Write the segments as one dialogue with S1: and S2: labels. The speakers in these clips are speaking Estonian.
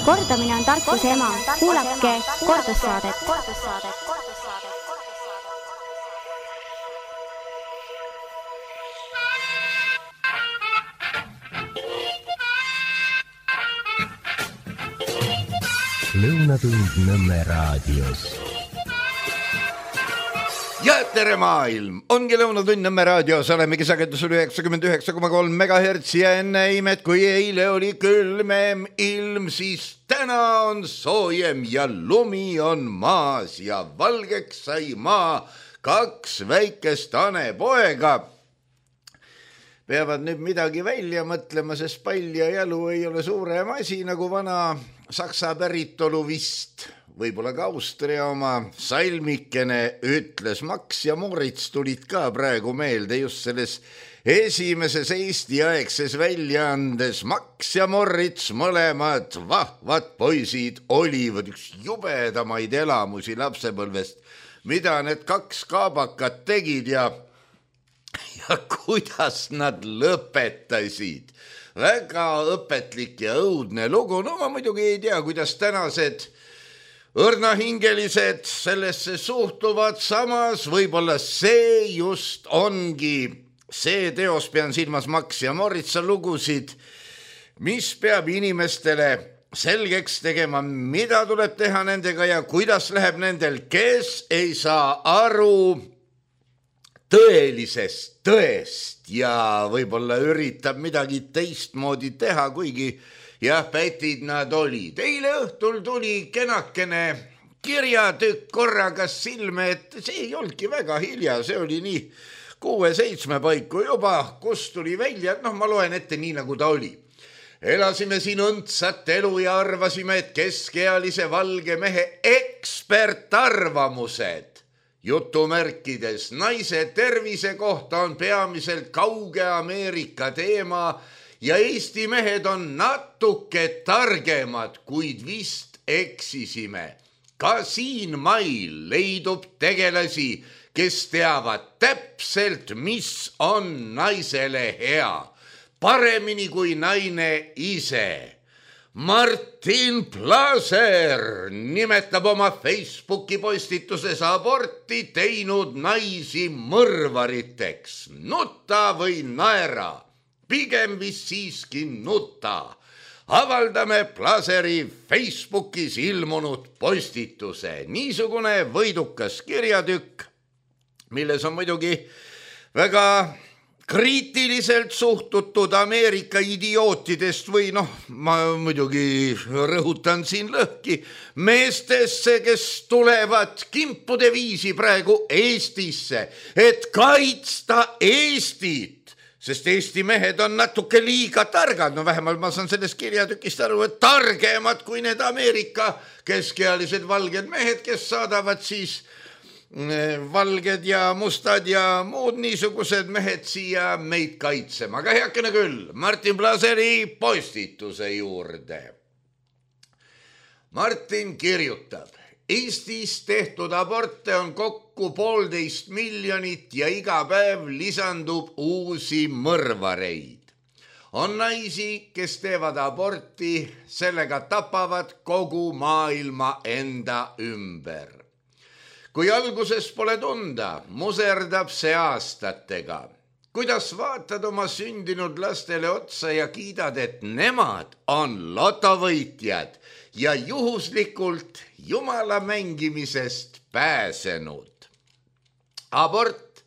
S1: Kordamine on tarkuse ema. Kuulake kordussaadet.
S2: Lõunatund Nõmme raadios.
S3: Ja tere maailm! Ongi Lõunatund Nõmme raadios, olemegi sagedusel 99,3 MHz ja enne imet, kui eile oli külmem ilm, siis täna on soojem ja lumi on maas ja valgeks sai maa 2 väikest hanepoega. Peavad nüüd midagi välja mõtlema, sest pall ja jalu ei ole suurem asi nagu vana Saksa päritolu vist, võib-olla ka Austria oma. Salmikene ütles, Max ja Moritz tulid ka praegu meelde just selles esimeses Eesti-aegses väljaandes. Max ja Moritz, mõlemad vahvad poisid, olivad üks jubedamaid elamusi lapsepõlvest, mida need 2 kaabakat tegid ja kuidas nad lõpetasid. Väga õpetlik ja õudne lugu. No ma muidugi ei tea, kuidas tänased õrnahingelised sellesse suhtuvad. Samas võib-olla see just ongi see teos, pean silmas Max ja Moritsa lugusid, mis peab inimestele selgeks tegema, mida tuleb teha nendega ja kuidas läheb nendel, kes ei saa aru tõelisest tõest ja võib-olla üritab midagi teistmoodi teha, kuigi jah, pätid nad olid. Eile õhtul tuli kenakene kirjatükk korraga silme, et see ei olnudki väga hilja, see oli nii 6-7 paiku juba, kus tuli välja, ma loen ette nii, nagu ta oli. Elasime siin õndsat elu ja arvasime, et keskealise valge mehe ekspertarvamused jutumärkides naise tervise kohta on peamiselt kauge Ameerika teema ja Eesti mehed on natuke targemad, kuid vist eksisime. Ka siin mail leidub tegelasi, kes teavad täpselt, mis on naisele hea, paremini kui naine ise. Martin Plaser nimetab oma Facebooki postituses aborti teinud naisi mõrvariteks. Nuta või naera, pigem vist siiski nuta. Avaldame Plaseri Facebookis ilmunud postituse. Niisugune võidukas kirjatükk, milles on muidugi väga kriitiliselt suhtutud Ameerika idiootidest või ma muidugi rõhutan siin lõhki meestesse, kes tulevad kimpude viisi praegu Eestisse, et kaitsta Eestit, sest Eesti mehed on natuke liiga targad. Vähemalt ma saan sellest kirjatükist aru, et targemad kui need Ameerika keskealised valged mehed, kes saadavad siis valged ja mustad ja muud niisugused mehed siia meid kaitsema. Aga heakene küll, Martin Plaseri postituse juurde. Martin kirjutab, Eestis tehtud aborte on kokku 1,5 miljonit ja iga päev lisandub uusi mõrvareid. On naisi, kes teevad aborti, sellega tapavad kogu maailma enda ümber. Kui alguses pole tunda, muserdab see aastatega. Kuidas vaatad oma sündinud lastele otsa ja kiidad, et nemad on lotovõitjad ja juhuslikult jumala mängimisest pääsenud. Abort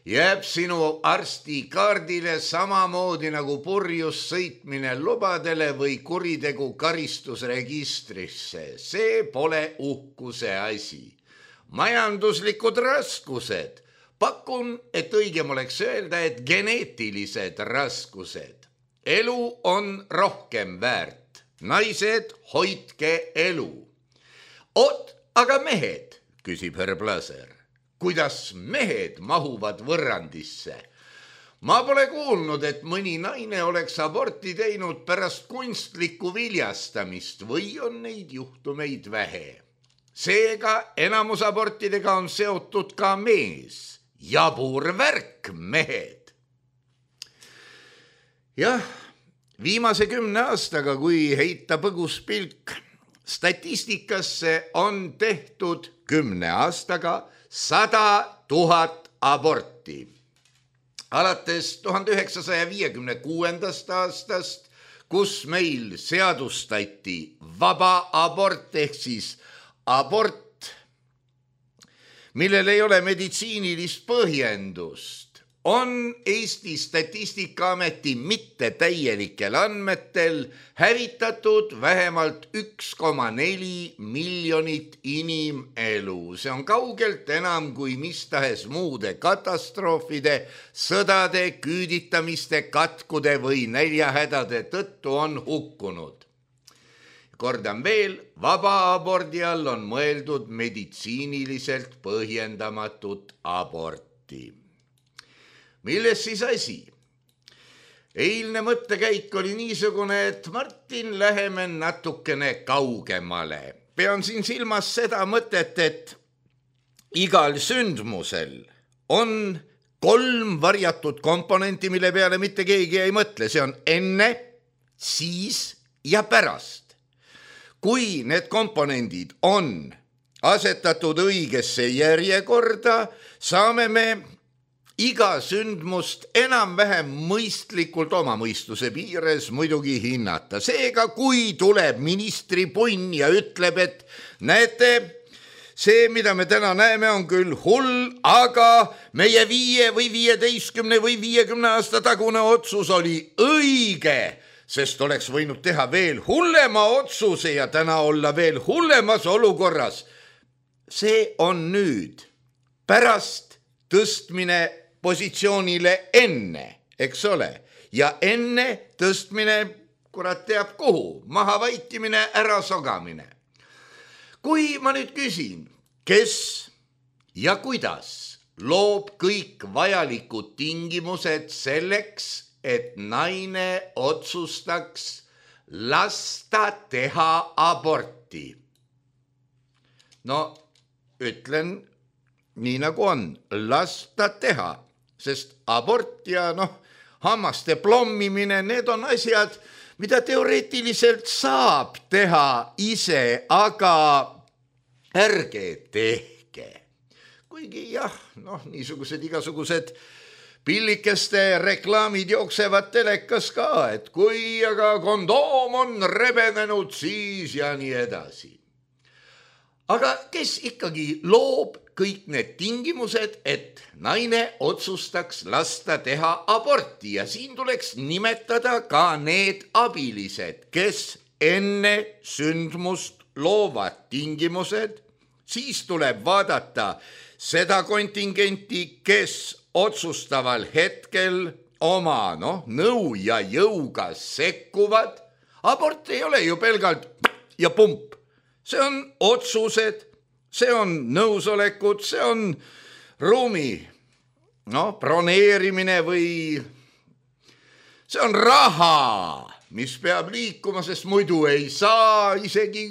S3: jääb sinu arstikaardile samamoodi nagu purjus sõitmine lubadele või kuritegu karistusregistrisse. See pole uhkuse asi. Majanduslikud raskused. Pakun, et õigem oleks öelda, et geneetilised raskused. Elu on rohkem väärt. Naised, hoidke elu. Aga mehed, küsib härra Plaser. Kuidas mehed mahuvad võrrandisse? Ma pole kuulnud, et mõni naine oleks aborti teinud pärast kunstlikku viljastamist või on neid juhtumeid vähe. Seega enamus abortidega on seotud ka mees. Jabur värk, mehed. Jah, Viimase 10 aastaga, kui heita põgus pilk statistikasse, on tehtud 10 aastaga 100 000 aborti. Alates 1956. aastast, kus meil seadustati vaba abort ehk siis abort, millel ei ole meditsiinilist põhjendust, on Eesti Statistikaameti mittetäielikel andmetel hävitatud vähemalt 1,4 miljonit inimelu. See on kaugelt enam kui mis tahes muude katastroofide, sõdade, küüditamiste, katkude või näljahädade tõttu on hukkunud. Kordan veel, vaba abordi all on mõeldud meditsiiniliselt põhjendamatut aborti. Milles siis asi? Eilne mõttekäik oli niisugune, et Martin, läheme natukene kaugemale. Pean siin silmas seda mõtet, et igal sündmusel on 3 varjatud komponenti, mille peale mitte keegi ei mõtle. See on enne, siis ja pärast. Kui need komponendid on asetatud õigesse järjekorda, saame me iga sündmust enam-vähem mõistlikult oma mõistuse piires muidugi hinnata. Seega, kui tuleb ministri punn ja ütleb, et näete, see, mida me täna näeme, on küll hull, aga meie 5 või 15 või 50 aasta tagune otsus oli õige, sest oleks võinud teha veel hullema otsuse ja täna olla veel hullemas olukorras. See on nüüd pärast tõstmine positsioonile enne, eks ole, ja enne tõstmine, kurat teab kuhu, maha vaikimine, ära sogamine. Kui ma nüüd küsin, kes ja kuidas loob kõik vajalikud tingimused selleks, et naine otsustaks lasta teha aborti? No, ütlen nii nagu on, lasta teha. Sest abort ja hammaste plommimine, need on asjad, mida teoreetiliselt saab teha ise, aga ärge tehke. Kuigi jah, niisugused igasugused pillikeste reklaamid jooksevad telekas ka, et kui aga kondoom on rebenenud, siis ja nii edasi. Aga kes ikkagi loob kõik need tingimused, et naine otsustaks lasta teha aborti ja siin tuleks nimetada ka need abilised, kes enne sündmust loovad tingimused, siis tuleb vaadata seda kontingenti, kes otsustaval hetkel oma nõu ja jõuga sekkuvad. Abort ei ole ju pelgalt ja pump. See on otsused, see on nõusolekud, see on ruumi broneerimine või see on raha, mis peab liikuma, sest muidu ei saa isegi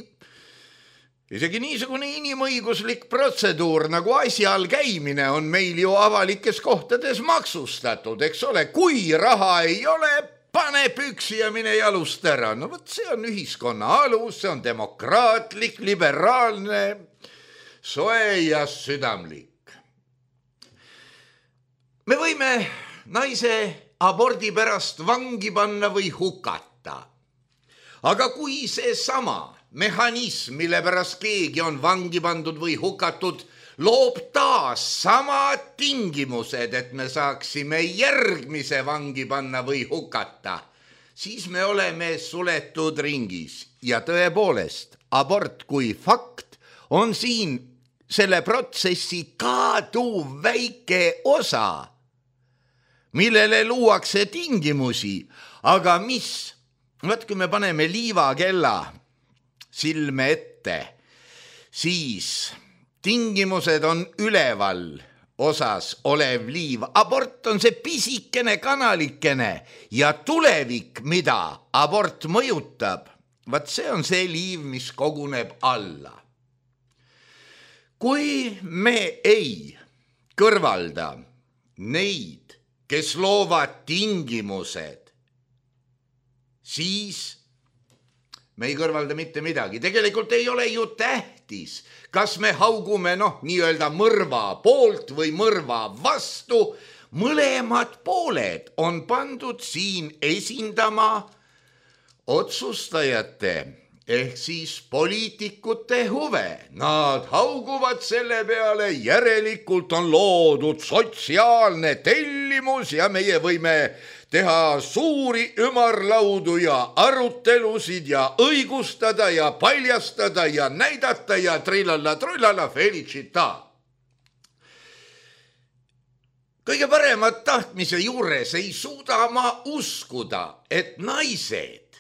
S3: niisugune inimõiguslik protseduur nagu asjal käimine on meil ju avalikes kohtades maksustatud, eks ole. Kui raha ei ole, pane püksi ja mine jalust ära. No võt, see on ühiskonna alus, see on demokraatlik, liberaalne, soe ja südamlik. Me võime naise abordi pärast vangi panna või hukata. Aga kui see sama mehhanism, mille pärast keegi on vangi pandud või hukatud, loob taas samad tingimused, et me saaksime järgmise vangi panna või hukata, siis me oleme suletud ringis. Ja tõepoolest, abort kui fakt on siin selle protsessi kaduv väike osa, millele luuakse tingimusi, aga mis, kui me paneme liivakella silme ette, siis tingimused on üleval osas olev liiv. Abort on see pisikene kanalikene ja tulevik, mida abort mõjutab, see on see liiv, mis koguneb alla. Kui me ei kõrvalda neid, kes loovad tingimused siis me ei kõrvalda mitte midagi. Tegelikult ei ole ju tähtis, kas me haugume nii-öelda mõrva poolt või mõrva vastu. Mõlemad pooled on pandud siin esindama otsustajate ehk siis poliitikute huve. Nad hauguvad selle peale, järelikult on loodud sotsiaalne tellimus ja meie võime teha suuri ümarlaudu ja arutelusid ja õigustada ja paljastada ja näidata ja trillalla felicita. Kõige paremat tahtmise juures ei suuda ma uskuda, et naised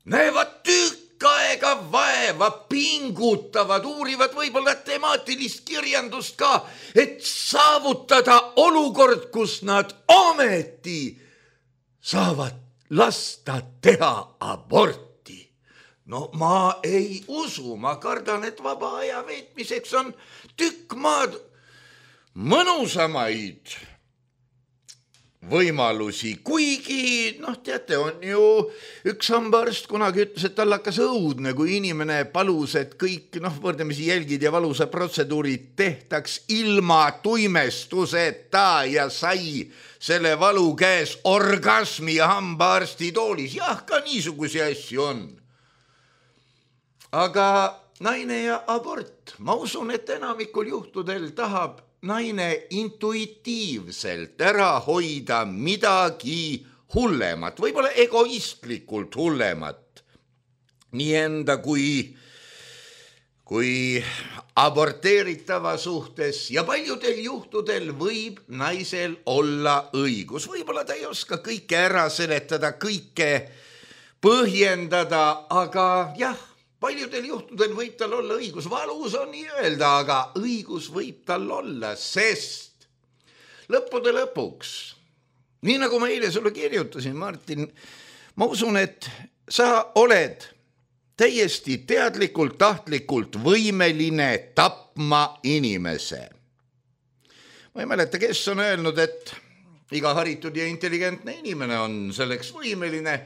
S3: näevad tükk aega vaeva, pingutavad, uurivad võib-olla temaatilist kirjandust ka, et saavutada olukord, kus nad ometi saavad lasta teha aborti. No ma ei usu, ma kardan, et vaba aja veetmiseks on tükk maad mõnusamaid võimalusi, kuigi teate, on ju üks hambaarst kunagi ütles, et tal hakkas õudne, kui inimene palus, et kõik võrdlemisi jälgid ja valusa protseduurid tehtaks ilma tuimestuseta ja sai selle valu käes orgasmi ja hambaarsti toolis. Jah, ka niisugusi asju on. Aga naine ja abort, ma usun, et enamikul juhtudel tahab naine intuitiivselt ära hoida midagi hullemat, võib-olla egoistlikult hullemat, nii enda kui aborteeritava suhtes ja paljudel juhtudel võib naisel olla õigus. Võib-olla ta ei oska kõike ära seletada, kõike põhjendada, aga jah, paljudel juhtudel võib tal olla õigus, valus on nii öelda, aga õigus võib tal olla, sest lõppude lõpuks, nii nagu ma eile sulle kirjutasin, Martin, ma usun, et sa oled täiesti teadlikult, tahtlikult võimeline tapma inimese. Ma ei mäleta, kes on öelnud, et iga haritud ja intelligentne inimene on selleks võimeline.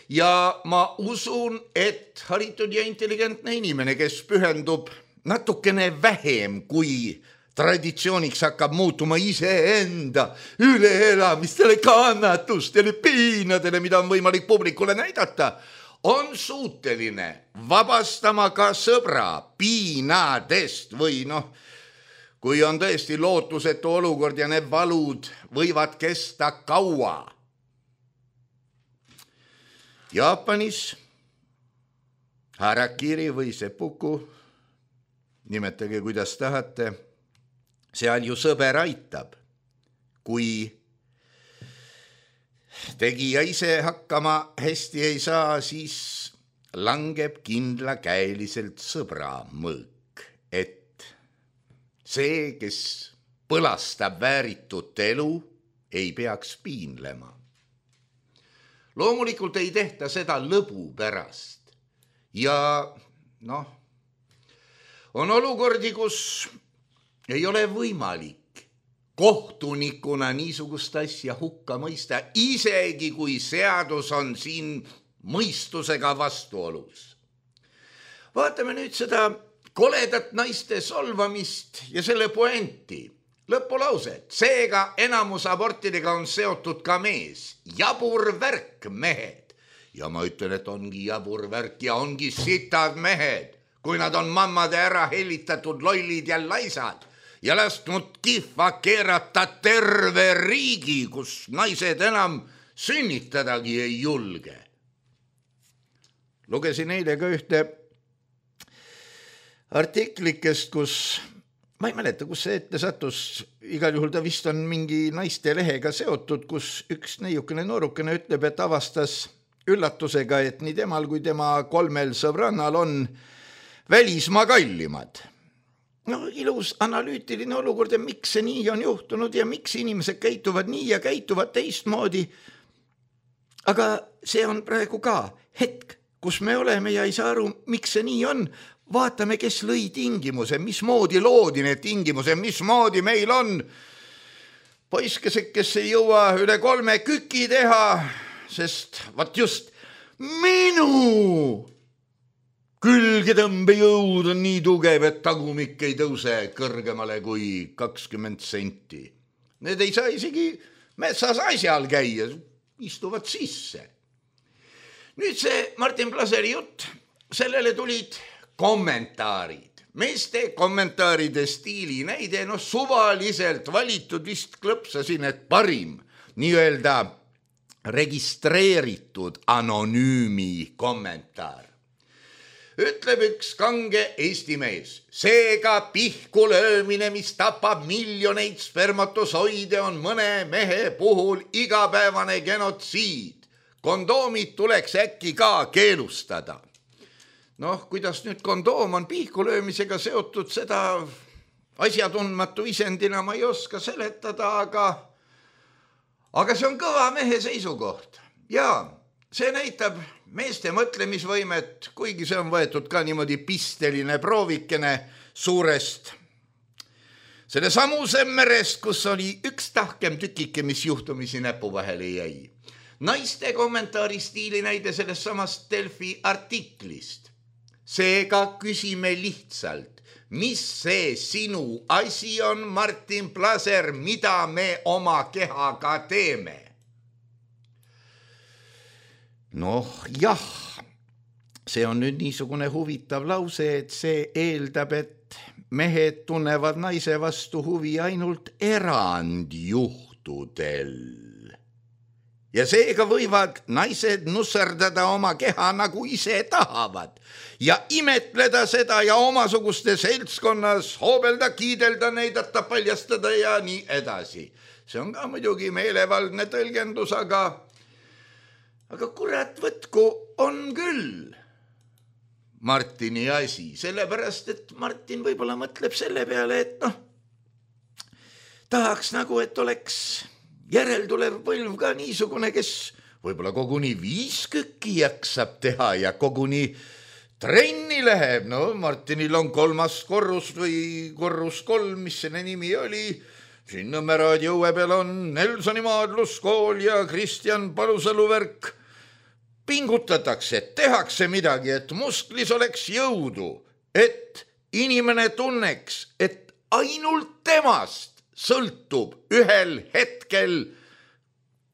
S3: Ja ma usun, et haritud ja intelligentne inimene, kes pühendub natukene vähem, kui traditsiooniks hakkab muutuma iseenda üleelamistele, kannatustele, piinadele, mida on võimalik publikule näidata, on suuteline vabastama ka sõbra piinadest või kui on tõesti lootusetu olukord ja need valud võivad kesta kaua. Jaapanis harakiri või seppuku, nimetage kuidas tahate, seal ju sõber aitab. Kui tegija ise hakkama hästi ei saa, siis langeb kindlakäeliselt sõbra mõõk, et see, kes põlastab vääritut elu, ei peaks piinlema. Loomulikult ei tehta seda lõbu pärast ja on olukordi, kus ei ole võimalik kohtunikuna niisugust asja hukka mõista, isegi kui seadus on siin mõistusega vastuolus. Vaatame nüüd seda koledat naiste solvamist ja selle poenti. Lõpulauset, seega enamus abortidega on seotud ka mees. Jabur värk, mehed. Ja ma ütlen, et ongi jabur värk ja ongi sitad mehed, kui nad on mammade ära hellitatud lollid ja laisad ja lasknud kihva keerata terve riigi, kus naised enam sünnitadagi ei julge. Lugesin eile ka ühte artiklikest, kus ma ei mäleta, kus see ette sattus, igal juhul ta vist on mingi naiste lehega seotud, kus üks neiukene noorukene ütleb, et avastas üllatusega, et nii temal kui tema 3 sõbrannal on välismaa kallimad. Ilus analüütiline olukord ja miks see nii on juhtunud ja miks inimesed käituvad nii ja käituvad teistmoodi. Aga see on praegu ka hetk, kus me oleme ja ei saa aru, miks see nii on. Vaatame, kes lõi tingimuse, mismoodi loodi need tingimuse, mismoodi meil on poiskesed, kes ei jõua üle 3 küki teha, sest vaat just Minu külgetõmbejõud on nii tugev, et tagumik ei tõuse kõrgemale kui 20 senti. Need ei saa isegi metsas asjal käia, istuvad sisse. Nüüd see Martin Plaseri jutt, sellele tulid kommentaarid. Meeste kommentaaride stiili näide, suvaliselt valitud vist klõpsasin, et parim nii-öelda registreeritud anonüümi kommentaar. Ütleb üks kange Eesti mees, seega pihku löömine, mis tapab miljoneid spermatosoide, on mõne mehe puhul igapäevane genotsiid. Kondoomid tuleks äkki ka keelustada. Kuidas nüüd kondoom on pihku löömisega seotud, seda asjatundmatu isendina ma ei oska seletada, aga see on kõva mehe seisukoht. Ja see näitab meeste mõtlemisvõimet, kuigi see on võetud ka niimoodi pisteline proovikene suurest selle samuse merest, kus oli üks tahkem tükike, mis juhtumisi näpu vahele jäi. Naiste kommentaari stiili näide sellest samast Delfi artiklist. Seega küsime lihtsalt, mis see sinu asi on, Martin Plaser, mida me oma kehaga teeme? Jah, see on nüüd niisugune huvitav lause, et see eeldab, et mehed tunnevad naise vastu huvi ainult erandjuhtudel. Ja seega võivad naised nusserdada oma keha nagu ise tahavad ja imetleda seda ja omasuguste seltskonnas hoobelda, kiidelda, näidata, paljastada ja nii edasi. See on ka muidugi meelevaldne tõlgendus, aga kurat võtku on küll Martini asi, sellepärast, et Martin võib-olla mõtleb selle peale, et tahaks nagu, et oleks järeltulev põlv ka niisugune, kes võib-olla koguni 5 kükki jaksab teha ja koguni trenni läheb. Martinil on 3. korrus või korrus 3, mis selle nimi oli. Siin Nõmme raadio õue peal on Nelsoni maadluskool ja Kristjan Palusalu värk. Pingutatakse, tehakse midagi, et musklis oleks jõudu, et inimene tunneks, et ainult temast sõltub ühel hetkel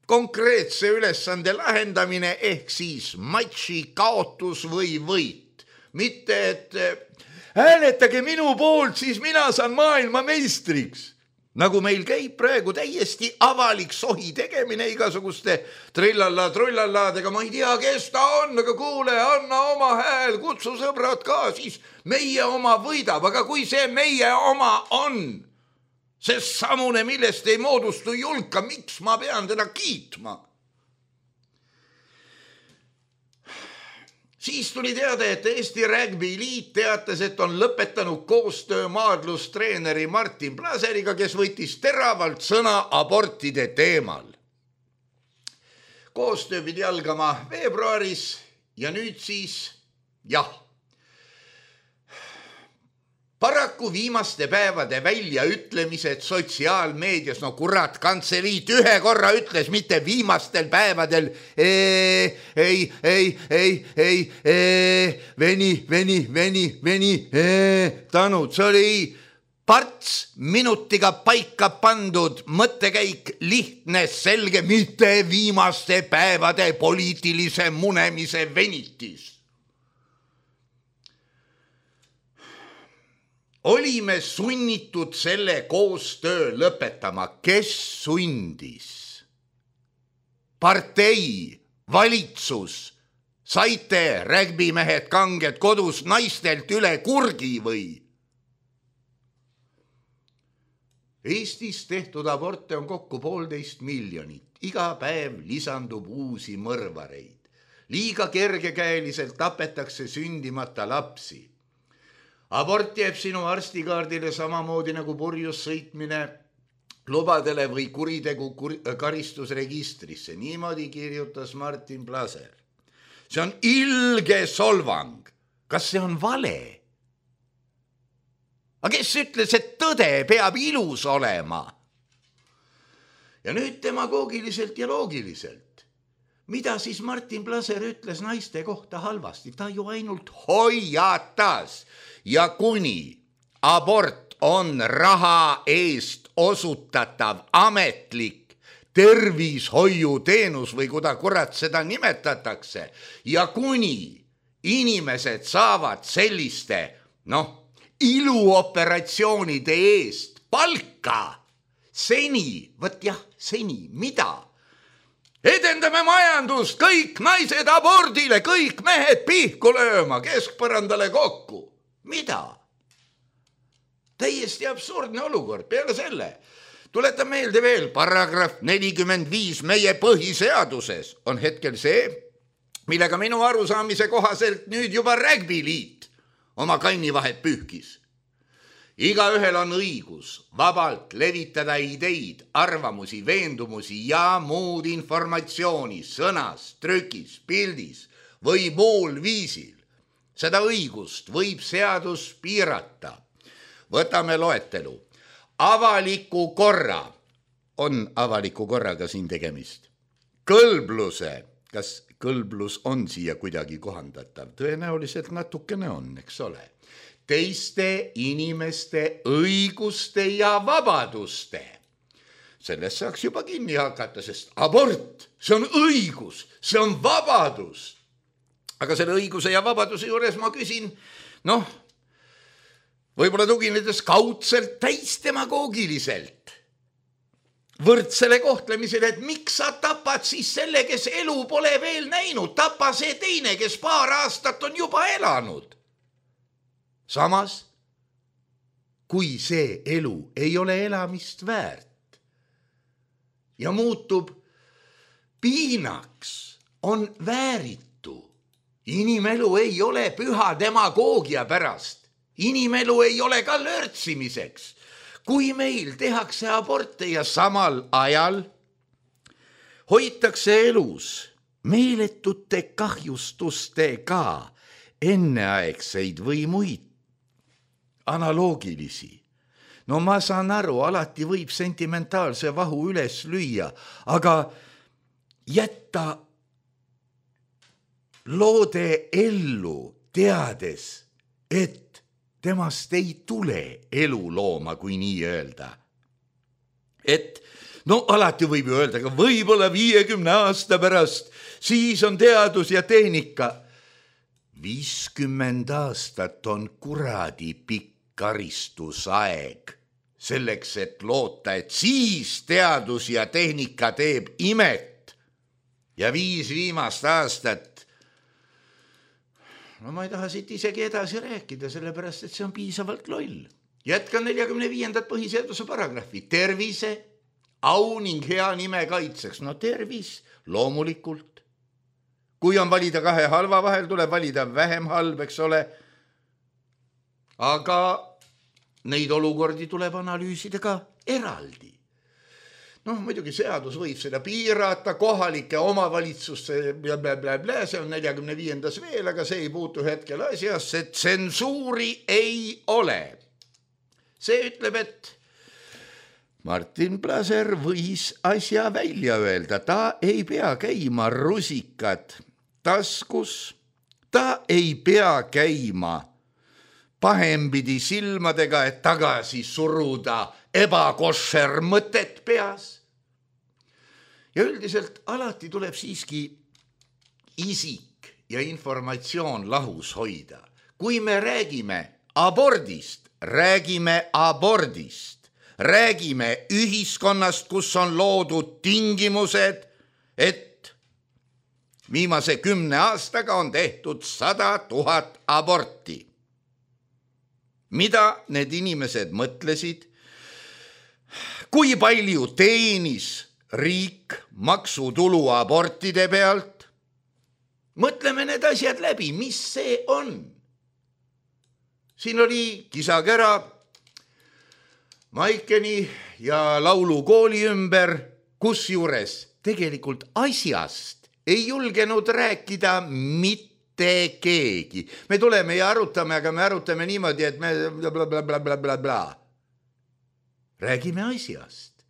S3: konkreetse ülesande lahendamine ehk siis matši kaotus või võit. Mitte, et hääletage minu poolt, siis mina saan maailma meistriks. Nagu meil käib praegu täiesti avalik sohi tegemine igasuguste trillalla-trullalladega. Ma ei tea, kes ta on, aga kuule, anna oma hääl, kutsu sõbrad ka, siis meie oma võidab. Aga kui see meie oma on, see samune, millest ei moodustu julka, miks ma pean teda kiitma? Siis tuli teada, et Eesti Rugby Liit teatas, et on lõpetanud koostöö maadlustreeneri Martin Plaseriga, kes võttis teravalt sõna abortide teemal. Koostöö pidi algama veebruaris ja nüüd siis paraku viimaste päevade väljaütlemised sotsiaalmeedias, kurat, kantseliit ühe korra ütles, mitte viimastel päevadel, veni, tanud, see oli parts minutiga paika pandud mõttekäik, lihtne, selge, mitte viimaste päevade poliitilise munemise venitis. Olime sunnitud selle koostöö lõpetama. Kes sundis? Partei, valitsus, saite rugbymehed kanged kodus naistelt üle kurgi või? Eestis tehtud aborte on kokku 1,5 miljonit. Iga päev lisandub uusi mõrvareid. Liiga kergekäeliselt tapetakse sündimata lapsi. Abort jääb sinu arstikaardile samamoodi nagu purjus sõitmine lubadele või kuritegu karistusregistrisse. Niimoodi kirjutas Martin Plaser. See on ilge solvang. Kas see on vale? Aga kes ütles, et tõde peab ilus olema? Ja nüüd demagoogiliselt ja loogiliselt. mida siis Martin Plaser ütles naiste kohta halvasti? Ta ju ainult hoiatas ja kuni abort on raha eest osutatav ametlik tervishoiuteenus või kuda kurat seda nimetatakse ja kuni inimesed saavad selliste, iluoperatsioonide eest palka seni, mida? Edendame majandust, kõik naised abordile, kõik mehed pihku lööma, keskpõrandale kokku. Mida? Täiesti absurdne olukord. Peale selle tuletan meelde veel, paragrahv 45 meie põhiseaduses on hetkel see, millega minu arusaamise kohaselt nüüd juba rägbiliit oma kannivahet pühkis. Igaühel on õigus vabalt levitada ideid, arvamusi, veendumusi ja muud informatsiooni sõnas, trükis, pildis või muul viisil. Seda õigust võib seadus piirata. Võtame loetelu. Avaliku korra, on avaliku korraga siin tegemist. Kõlbluse, kas kõlblus on siia kuidagi kohandatav? Tõenäoliselt natukene on, eks ole. Teiste inimeste õiguste ja vabaduste. Sellest saaks juba kinni hakata, sest abort, see on õigus, see on vabadus. Aga selle õiguse ja vabaduse juures ma küsin, võib-olla tuginedes kaudselt täisdemagoogiliselt võrdsele kohtlemisele, et miks sa tapad siis selle, kes elu pole veel näinud, tapa see teine, kes paar aastat on juba elanud. Samas, kui see elu ei ole elamist väärt ja muutub piinaks, on vääritu. Inimelu ei ole püha demagoogia pärast. Inimelu ei ole ka lörtsimiseks. Kui meil tehakse aborte ja samal ajal hoitakse elus meeletute kahjustustega enneaegseid või muid analoogilisi. Ma saan aru, alati võib sentimentaalse vahu üles lüüa, aga jätta loode ellu teades, et temast ei tule elulooma, kui nii öelda. Et alati võib ju öelda, aga võib-olla 50 aasta pärast, siis on teadus ja tehnika. 50 aastat on kuradi pikk karistusaeg selleks, et loota, et siis teadus ja tehnika teeb imet ja 5 viimast aastat. Ma ei taha siit isegi edasi rääkida, sellepärast, et see on piisavalt loll. Jätkan 45. põhiseaduse paragrahvi. Tervise, au ning hea nime kaitseks. Tervis, loomulikult. Kui on valida 2 halva vahel, tuleb valida vähem halb, eks ole. Aga neid olukordi tuleb analüüsida ka eraldi. Muidugi seadus võib seda piirata, kohalike omavalitsuste see on 45. veel, aga see ei puutu hetkel asjasse, tsensuuri ei ole. See ütleb, et Martin Plaser võis asja välja öelda, ta ei pea käima rusikad taskus, ta ei pea käima pahempidi silmadega, et tagasi suruda ebakoššer mõtet peas. Ja üldiselt alati tuleb siiski isik ja informatsioon lahus hoida. Kui me räägime abordist, räägime abordist. Räägime ühiskonnast, kus on loodud tingimused, et viimase 10 aastaga on tehtud 100 000 aborti. Mida need inimesed mõtlesid? Kui palju teenis riik maksutulu abortide pealt? Mõtleme need asjad läbi, mis see on? Siin oli kisakära Maikeni ja laulukooli ümber, kus juures tegelikult asjast ei julgenud rääkida mitte keegi. Me tuleme ja arutame, aga me arutame niimoodi, et me blablabla. Räägime asjast.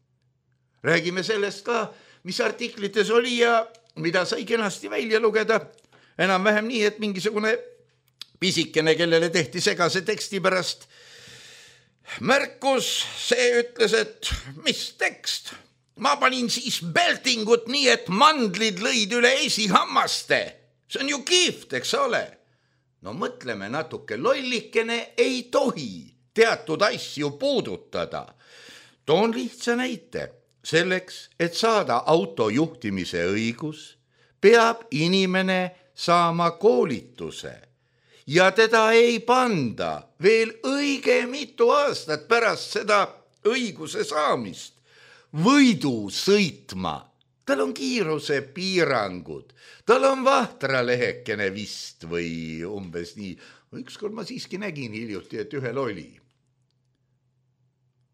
S3: Räägime sellest ka, mis artiklites oli ja mida sai kenasti välja lugeda, enam-vähem nii, et mingisugune pisikene, kellele tehti segase teksti pärast märkus, see ütles, et mis tekst? Ma panin siis beltingut nii, et mandlid lõid üle esihammaste. See on ju kihvt, eks ole? No mõtleme natuke, lollikene ei tohi teatud asju puudutada. Toon lihtsa näite. Selleks, et saada auto juhtimise õigus, peab inimene saama koolituse. Ja teda ei panda veel õige mitu aastat pärast seda õiguse saamist võidu sõitma. Tal on kiiruse piirangud, tal on vahtralehekene vist või umbes nii. Ükskord ma siiski nägin hiljuti, et ühel oli.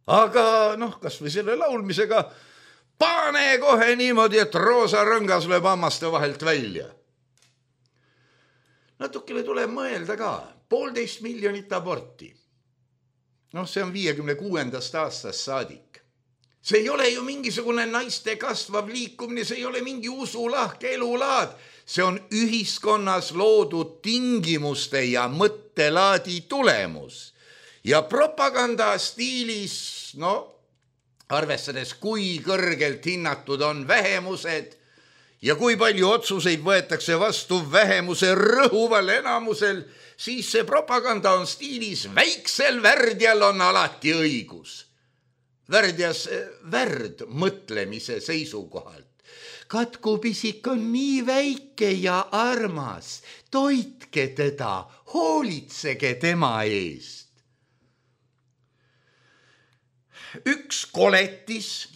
S3: Aga kas või selle laulmisega pane kohe niimoodi, et roosa rõngas lööb hammaste vahelt välja. Natukene tuleb mõelda ka, 1,5 miljonit aborti. See on 56. aastast saadik. See ei ole ju mingisugune naiste kasvav liikumine, see ei ole mingi usulahke elulaad. See on ühiskonnas loodud tingimuste ja mõttelaadi tulemus. Ja propaganda stiilis, arvestades kui kõrgelt hinnatud on vähemused, ja kui palju otsuseid võetakse vastu vähemuse rõhuval enamusel, siis see propaganda on stiilis väiksel värdjal on alati õigus. Värdjas värd mõtlemise seisukohalt. Katkupisik on nii väike ja armas, toitke teda, hoolitsege tema eest. Üks koletis,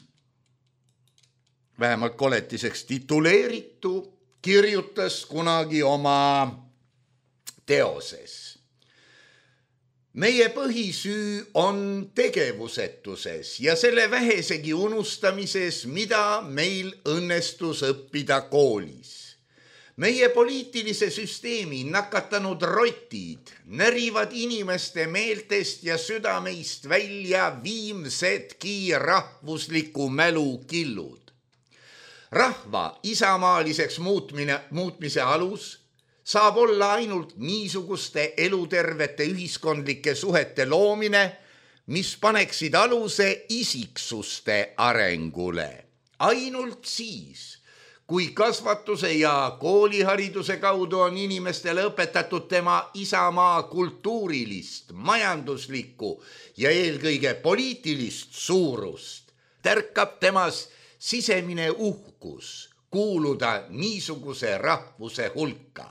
S3: vähemalt koletiseks tituleeritu, kirjutas kunagi oma teoses. Meie põhisüü on tegevusetuses ja selle vähesegi unustamises, mida meil õnnestus õppida koolis. Meie poliitilise süsteemi nakatanud rotid närivad inimeste meeltest ja südameist välja viimsedki rahvusliku mälu killud. Rahva isamaaliseks muutmise alus saab olla ainult niisuguste elutervete ühiskondlike suhete loomine, mis paneksid aluse isiksuste arengule. Ainult siis, kui kasvatuse ja koolihariduse kaudu on inimestele õpetatud tema isamaa kultuurilist, majanduslikku ja eelkõige poliitilist suurust, tärkab temas sisemine uhkus kuuluda niisuguse rahvuse hulka.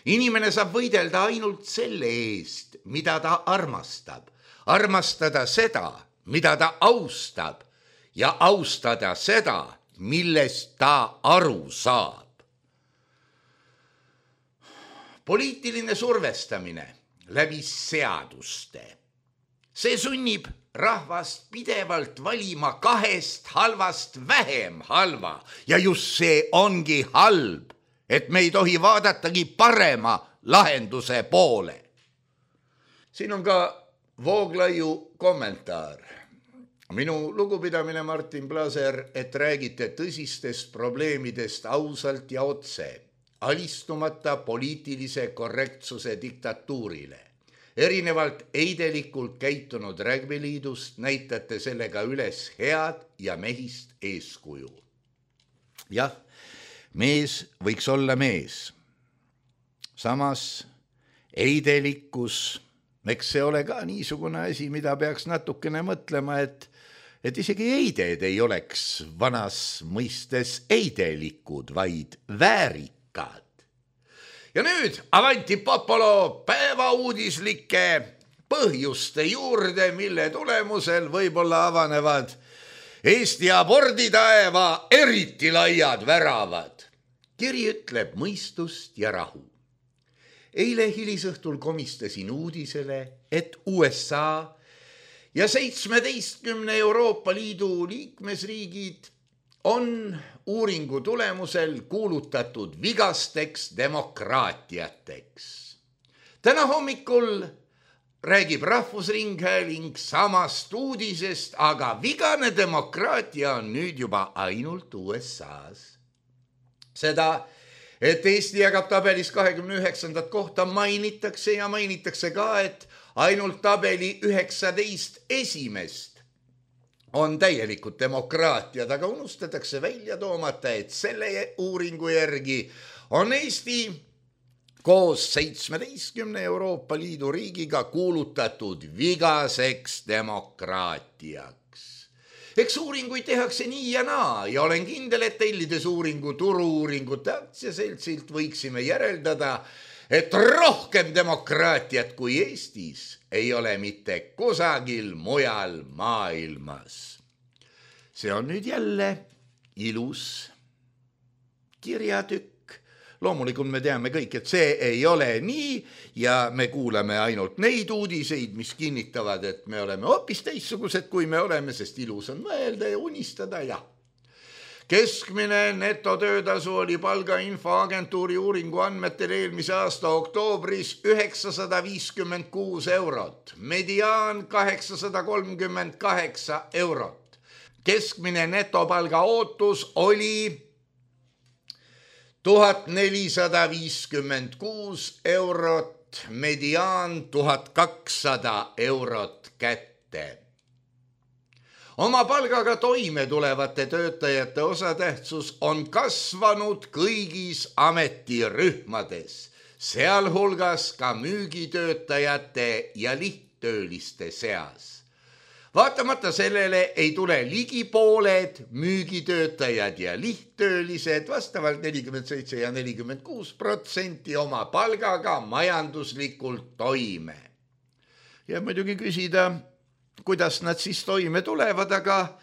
S3: Inimene saab võidelda ainult selle eest, mida ta armastab, armastada seda, mida ta austab ja austada seda, millest ta aru saab. Poliitiline survestamine läbi seaduste. See sunnib rahvast pidevalt valima kahest halvast vähem halva ja just see ongi halb, et me ei tohi vaadatagi parema lahenduse poole. Siin on ka Vooglaiu kommentaar. Minu lugupidamine, Martin Blaser, et räägite tõsistest probleemidest ausalt ja otse, alistumata poliitilise korrektsuse diktatuurile. Erinevalt eidelikult käitunud Rägbeliidust näitate sellega üles head ja mehist eeskuju. Jah, mees võiks olla mees. Samas eidelikkus, eks see ole ka niisugune asi, mida peaks natukene mõtlema, et isegi eided ei oleks vanas mõistes eidelikud, vaid väärikad. Ja nüüd avanti popolo päevauudislike põhjuste juurde, mille tulemusel võib-olla avanevad Eesti aborditaeva eriti laiad väravad. Kiri ütleb mõistust ja rahu. Eile hilisõhtul komistasin uudisele, et USA ja 17 Euroopa Liidu liikmesriigid on uuringu tulemusel kuulutatud vigasteks demokraatiateks. Täna hommikul räägib Rahvusringhääling samast uudisest, aga vigane demokraatia on nüüd juba ainult USA's. seda, et Eesti jagab tabelis 29. kohta, mainitakse ja mainitakse ka, et ainult tabeli 19 esimest on täielikud demokraatiad, aga unustatakse välja toomata, et selle uuringu järgi on Eesti koos 17 Euroopa Liidu riigiga kuulutatud vigaseks demokraatiaks. Eks uuringuid tehakse nii ja naa ja olen kindel, et tellides uuringu Turu-uuringute aktsiaseltsilt võiksime järeldada, et rohkem demokraatiat kui Eestis ei ole mitte kusagil mujal maailmas. See on nüüd jälle ilus kirjatükk. Loomulikult me teame kõik, et see ei ole nii ja me kuuleme ainult neid uudiseid, mis kinnitavad, et me oleme hoopis teistsugused, kui me oleme, sest ilus on mõelda ja unistada ja. Keskmine netotöötasu oli palgainfoagentuuri uuringu andmetel eelmise aasta oktoobris 956 eurot, mediaan 838 eurot. Keskmine netopalga ootus oli 1456 eurot, mediaan 1200 eurot kätte. Oma palgaga toime tulevate töötajate osatähtsus on kasvanud kõigis ametirühmades, sealhulgas ka müügitöötajate ja lihttööliste seas. Vaatamata sellele ei tule ligi pooled müügitöötajad ja lihttöölised vastavalt 47 ja 46% oma palgaga majanduslikult toime. Ja muidugi küsida, kuidas nad siis toime tulevad, aga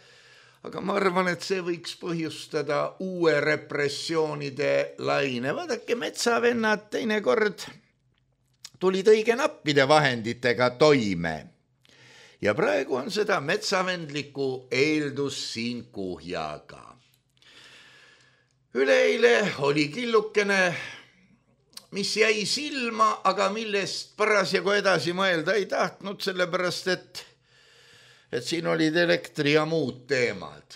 S3: ma arvan, et see võiks põhjustada uue repressioonide laine. Vaadake, metsavennad teinekord tulid õige nappide vahenditega toime. Ja praegu on seda metsavendlikku eeldus siin kuhjaga. Üleeile oli killukene, mis jäi silma, aga millest parasjagu edasi mõelda ei tahtnud, sellepärast et siin olid elektri ja muud teemad.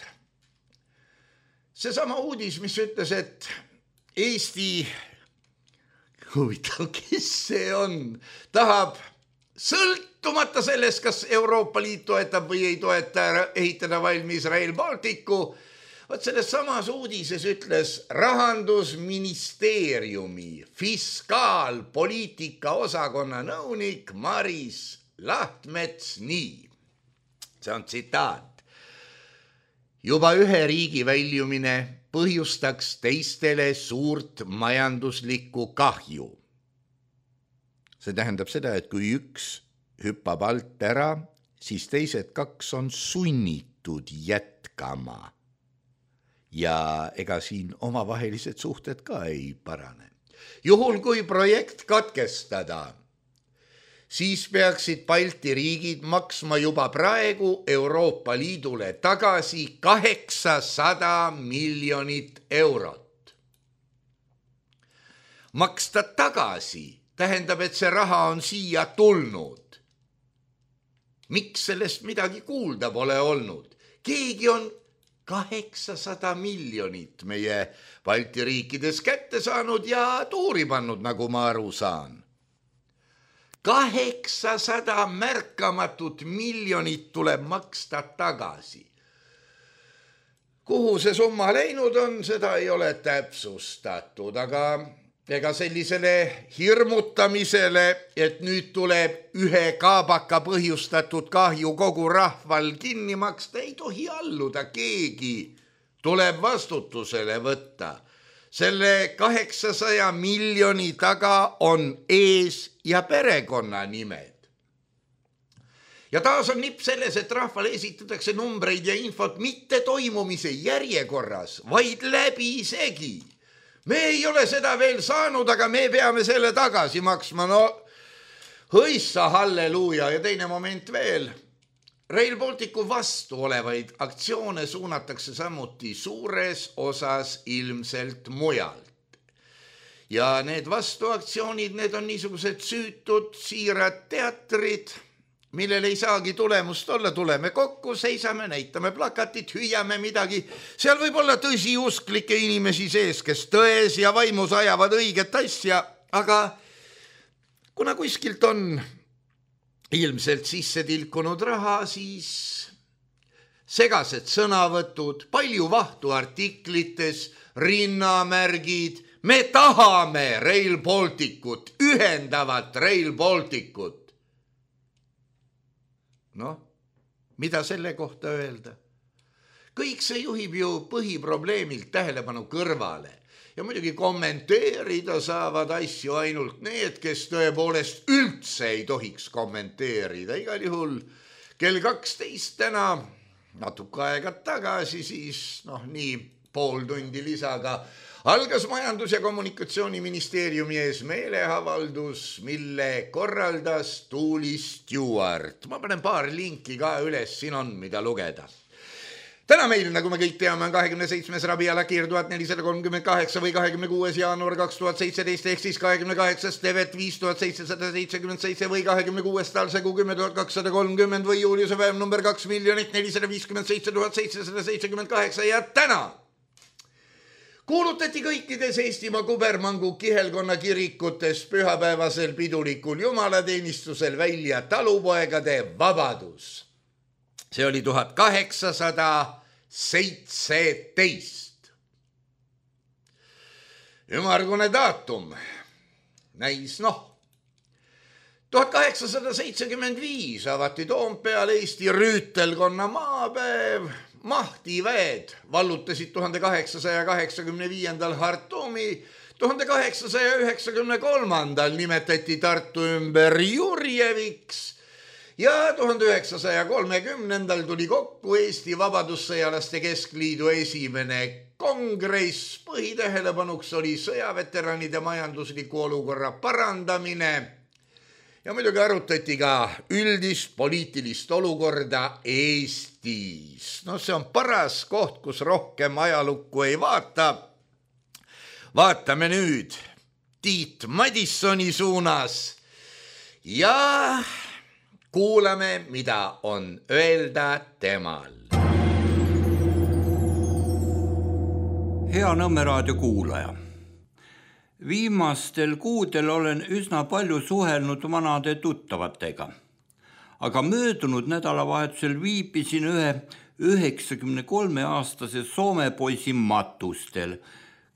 S3: Seesama uudis, mis ütles, et Eesti, huvitav, kes see on, tahab sõltumata sellest, kas Euroopa Liit toetab või ei toeta ehitada valmis Rail Balticu, vot selles samas uudises ütles Rahandusministeeriumi fiskaalpoliitika osakonna nõunik Maris Lahtmets nii. See on tsitaat. Juba ühe riigi väljumine põhjustaks teistele suurt majanduslikku kahju. See tähendab seda, et kui üks hüppab alt ära, siis teised kaks on sunnitud jätkama. Ja ega siin omavahelised suhted ka ei parane. Juhul kui projekt katkestada, siis peaksid Balti riigid maksma juba praegu Euroopa Liidule tagasi 800 miljonit eurot. Maksta tagasi tähendab, et see raha on siia tulnud. Miks sellest midagi kuulda pole olnud? Keegi on 800 miljonit meie Balti riikides kätte saanud ja tuuri pannud, nagu ma aru saan. 800 märkamatut miljonit tuleb maksta tagasi. Kuhu see summa läinud on, seda ei ole täpsustatud, aga ega sellisele hirmutamisele, et nüüd tuleb ühe kaabaka põhjustatud kahju kogu rahval kinni maksta, ei tohi alluda, keegi tuleb vastutusele võtta. Selle 800 miljoni taga on ees- ja perekonnanimed. Ja taas on nipp selles, et rahvale esitatakse numbreid ja infot mitte toimumise järjekorras, vaid läbisegi. Me ei ole seda veel saanud, aga me peame selle tagasi maksma. No, hõissa, halleluuja. Ja teine moment veel. Rail Balticu vastu olevaid aktsioone suunatakse samuti suures osas ilmselt mujalt. Ja need vastuaktsioonid, need on niisugused süütud, siirad teatrid, millel ei saagi tulemust olla, tuleme kokku, seisame, näitame plakatit, hüüame midagi. Seal võib olla tõsiusklikke inimesi sees, kes tões ja vaimus ajavad õiget asja, aga kuna kuskilt on ilmselt sisse tilkunud raha, siis segased sõnavõtud, palju vahtu artiklites, rinnamärgid, me tahame Rail Balticut, ühendavat Rail Balticut. Noh, mida selle kohta öelda? Kõik see juhib ju põhiprobleemilt tähelepanu kõrvale ja muidugi kommenteerida saavad asju ainult need, kes tõepoolest üldse ei tohiks kommenteerida. Igal juhul kell 12 täna, natuke aega tagasi, siis nii pool tundi lisaga algas Majandus- ja Kommunikatsiooniministeeriumi ees meeleavaldus, mille korraldas Tuuli Stewart. Ma panen paar linki ka üles, siin on mida lugeda. Täna meil, nagu me kõik teame, on 27. Rabi Alakir 1438 või 26. jaanuar 2017 ehk siis 28. Tevet 5777 või 26. talsegu 10230 või Juliuse päev number 2 457 778 ja täna kuulutati kõikides Eestimaa kubermangu kihelkonna kirikutes pühapäevasel pidulikul jumalateenistusel välja talupoegade vabadus. See oli 1817. Ümargune daatum näis 1875 avati Toompeal Eesti rüütelkonna maapäev. Mahtiväed vallutasid 1885. Hartumi, 1893. nimetati Tartu ümber Jurjeviks ja 1930. tuli kokku Eesti Vabadussõjalaste Keskliidu esimene kongress. Põhitähelepanuks oli sõjaveteranide majandusliku olukorra parandamine ja muidugi arutati ka üldist poliitilist olukorda Eestis. See on paras koht, kus rohkem ajalukku ei vaata. Vaatame nüüd Tiit Madissoni suunas ja kuulame, mida on öelda temal.
S4: Hea Nõmme raadio kuulaja. Viimastel kuudel olen üsna palju suhelnud vanade tuttavatega, aga möödunud nädalavahetusel viibisin ühe 93-aastase Soome poisi matustel,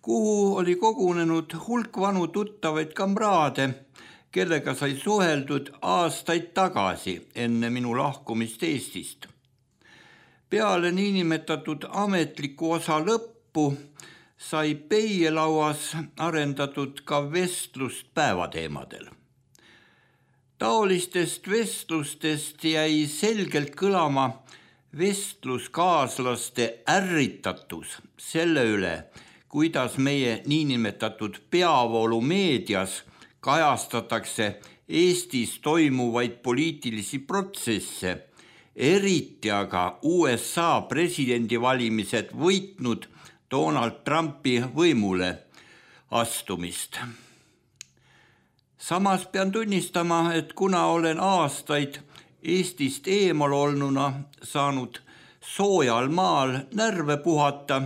S4: kuhu oli kogunenud hulk vanu tuttavaid kamraade, kellega sai suheldud aastaid tagasi enne minu lahkumist Eestist. Peale niinimetatud ametliku osa lõppu sai peielauas arendatud ka vestlust päevateemadel. Taolistest vestlustest jäi selgelt kõlama vestluskaaslaste ärritatus selle üle, kuidas meie niinimetatud peavoolumeedias kajastatakse Eestis toimuvaid poliitilisi protsesse, eriti aga USA presidendivalimised võitnud Donald Trumpi võimule astumist. Samas pean tunnistama, et kuna olen aastaid Eestist eemal olnuna saanud soojal maal närve puhata,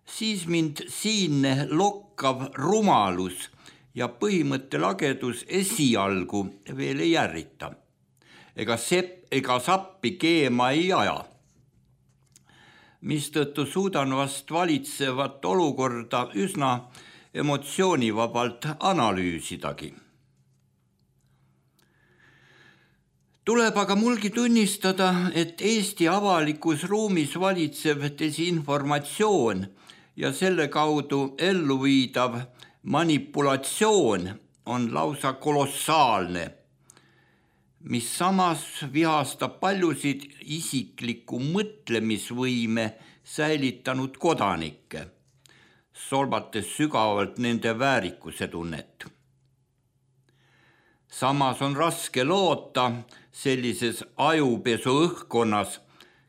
S4: siis mind siinne lokkav rumalus ja põhimõttelagedus esialgu veel ei ärrita. Ega sappi keema ei aja, mistõttu suudan vast valitsevat olukorda üsna emotsioonivabalt analüüsidagi. Tuleb aga mulgi tunnistada, et Eesti avalikus ruumis valitsev desinformatsioon ja selle kaudu elluviidav manipulatsioon on lausa kolossaalne, mis samas vihastab paljusid isikliku mõtlemisvõime säilitanud kodanikke, solvates sügavalt nende väärikuse tunnet. Samas on raske loota sellises ajupesu õhkkonnas,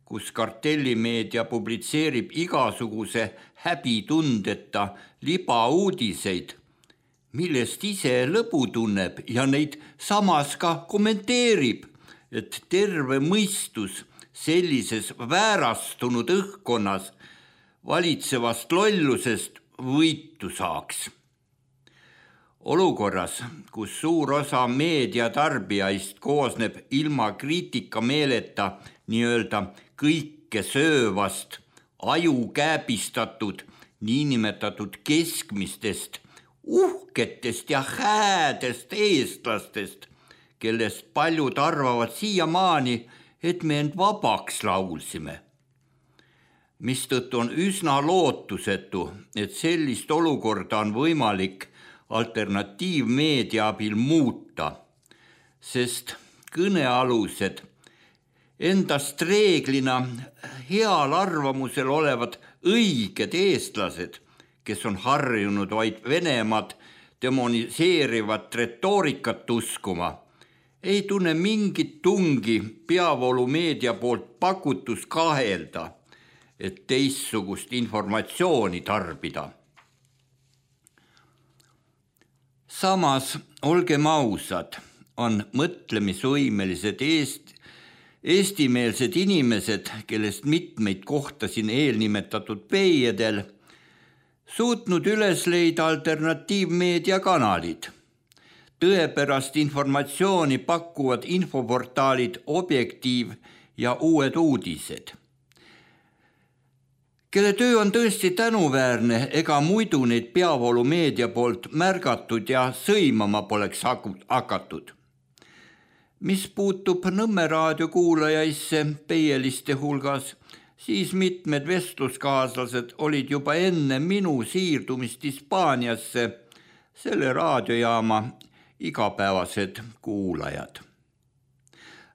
S4: kus kartellimeedia publitseerib igasuguse häbitundeta libauudiseid, millest ise lõbu tunneb ja neid samas ka kommenteerib, et terve mõistus sellises väärastunud õhkkonnas valitsevast lollusest võitu saaks. Olukorras, kus suur osa meediatarbijaist koosneb ilma kriitikameeleta nii-öelda kõike söövast, aju kääbistatud, niinimetatud keskmistest, uhketest ja häädest eestlastest, kellest paljud arvavad siiamaani, et me end vabaks laulsime. Mistõttu on üsna lootusetu, et sellist olukorda on võimalik alternatiivmeedia abil muuta, sest kõnealused endast reeglina heal arvamusel olevad õiged eestlased, kes on harjunud vaid Venemaad demoniseerivat retoorikat uskuma, ei tunne mingit tungi peavoolumeedia poolt pakutus kahelda, et teistsugust informatsiooni tarbida. Samas, olgem ausad, on mõtlemisvõimelised eestimeelsed inimesed, kellest mitmeid kohtasin eelnimetatud peiedel, suutnud üles leida alternatiivmeedia kanalid. Tõepärast informatsiooni pakkuvad infoportaalid Objektiiv ja Uued uudised, kelle töö on tõesti tänuväärne ega muidu neid peavoolumeedia poolt märgatud ja sõimama poleks hakatud. Mis puutub Nõmme raadio kuulajaisse peieliste hulgas, siis mitmed vestluskaaslased olid juba enne minu siirdumist Hispaaniasse selle raadiojaama igapäevased kuulajad.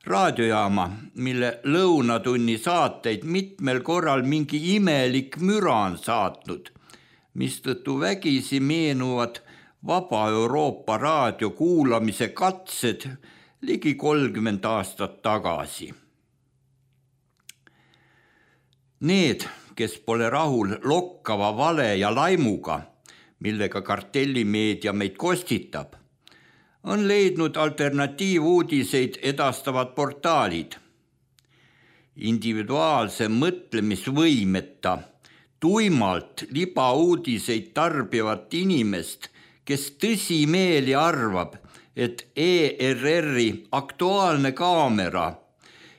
S4: Raadiojaama, mille lõunatunni saateid mitmel korral mingi imelik müra on saatnud, mistõttu vägisi meenuvad Vaba Euroopa raadio kuulamise katsed ligi 30 aastat tagasi. Need, kes pole rahul lokkava vale ja laimuga, millega kartellimeedia meid kostitab, on leidnud alternatiivuudiseid edastavad portaalid. Individuaalse mõtlemisvõimeta, tuimalt libauudiseid tarbivat inimest, kes tõsimeeli arvab, et ERR-i Aktuaalne kaamera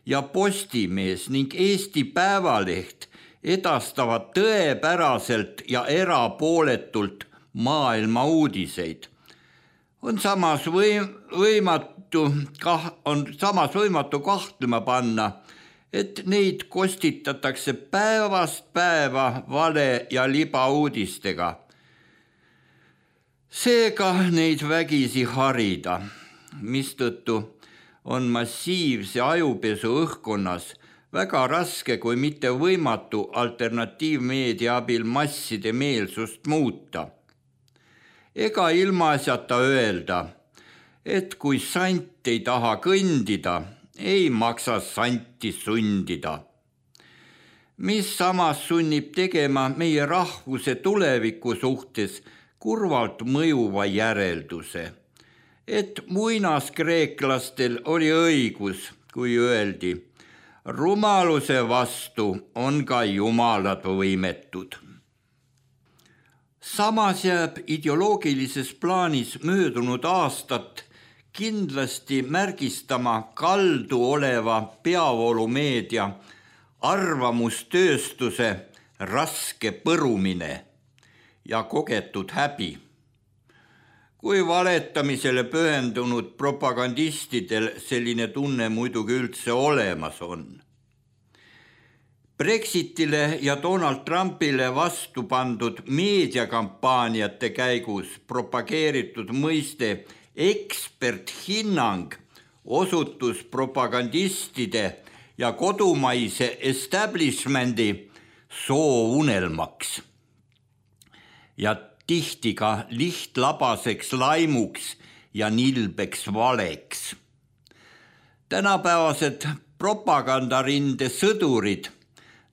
S4: ja Postimees ning Eesti Päevaleht edastavad tõepäraselt ja erapooletult maailma uudiseid. On samas võimatu kahtlema panna, et neid kostitatakse päevast päeva vale ja libauudistega. Seega neid vägisi harida, mistõttu on massiivse ajupesu õhkkonnas väga raske, kui mitte võimatu alternatiivmeedia abil masside meelsust muuta. Ega ilmaasjata öelda, et kui sant ei taha kõndida, ei maksa santi sundida. Mis samas sunnib tegema meie rahvuse tuleviku suhtes kurvalt mõjuva järelduse, et muinaskreeklastel oli õigus, kui öeldi, rumaluse vastu on ka jumalad võimetud. Samas jääb ideoloogilises plaanis möödunud aastat kindlasti märgistama kaldu oleva peavoolumeedia arvamustööstuse raske põrumine ja kogetud häbi. Kui valetamisele pühendunud propagandistidel selline tunne muidugi üldse olemas on. Brexitile ja Donald Trumpile vastu pandud meediakampaaniate käigus propageeritud mõiste eksperthinnang osutus propagandistide ja kodumaise establishmendi soovunelmaks ja tihti ka lihtlabaseks laimuks ja nilbeks valeks. Tänapäevased propagandarinde sõdurid,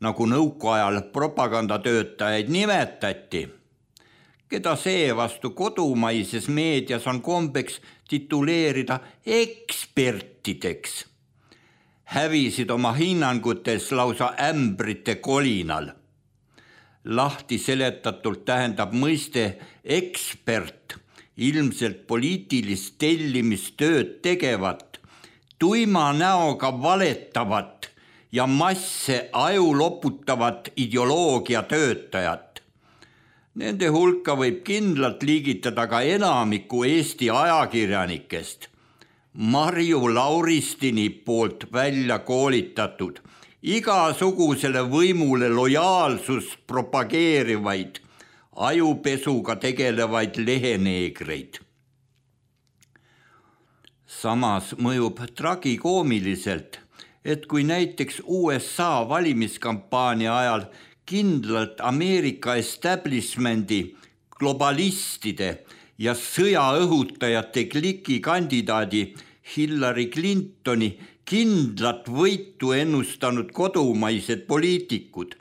S4: nagu nõukaajal propagandatöötajaid nimetati, keda seevastu kodumaises meedias on kombeks tituleerida ekspertideks, hävisid oma hinnangutes lausa ämbrite kolinal. Lahti seletatult tähendab mõiste ekspert ilmselt poliitilist tellimistööd tegevat, tuima näoga valetavat ja masse aju loputavat ideoloogia töötajat. Nende hulka võib kindlalt liigitada ka enamiku Eesti ajakirjanikest. Marju Lauristini poolt välja koolitatud, igasugusele võimule lojaalsust propageerivaid, ajupesuga tegelevaid leheneegreid. Samas mõjub tragikoomiliselt, et kui näiteks USA valimiskampaania ajal kindlalt Ameerika establishmendi, globalistide ja sõjaõhutajate kliki kandidaadi Hillary Clintoni kindlat võitu ennustanud kodumaised poliitikud,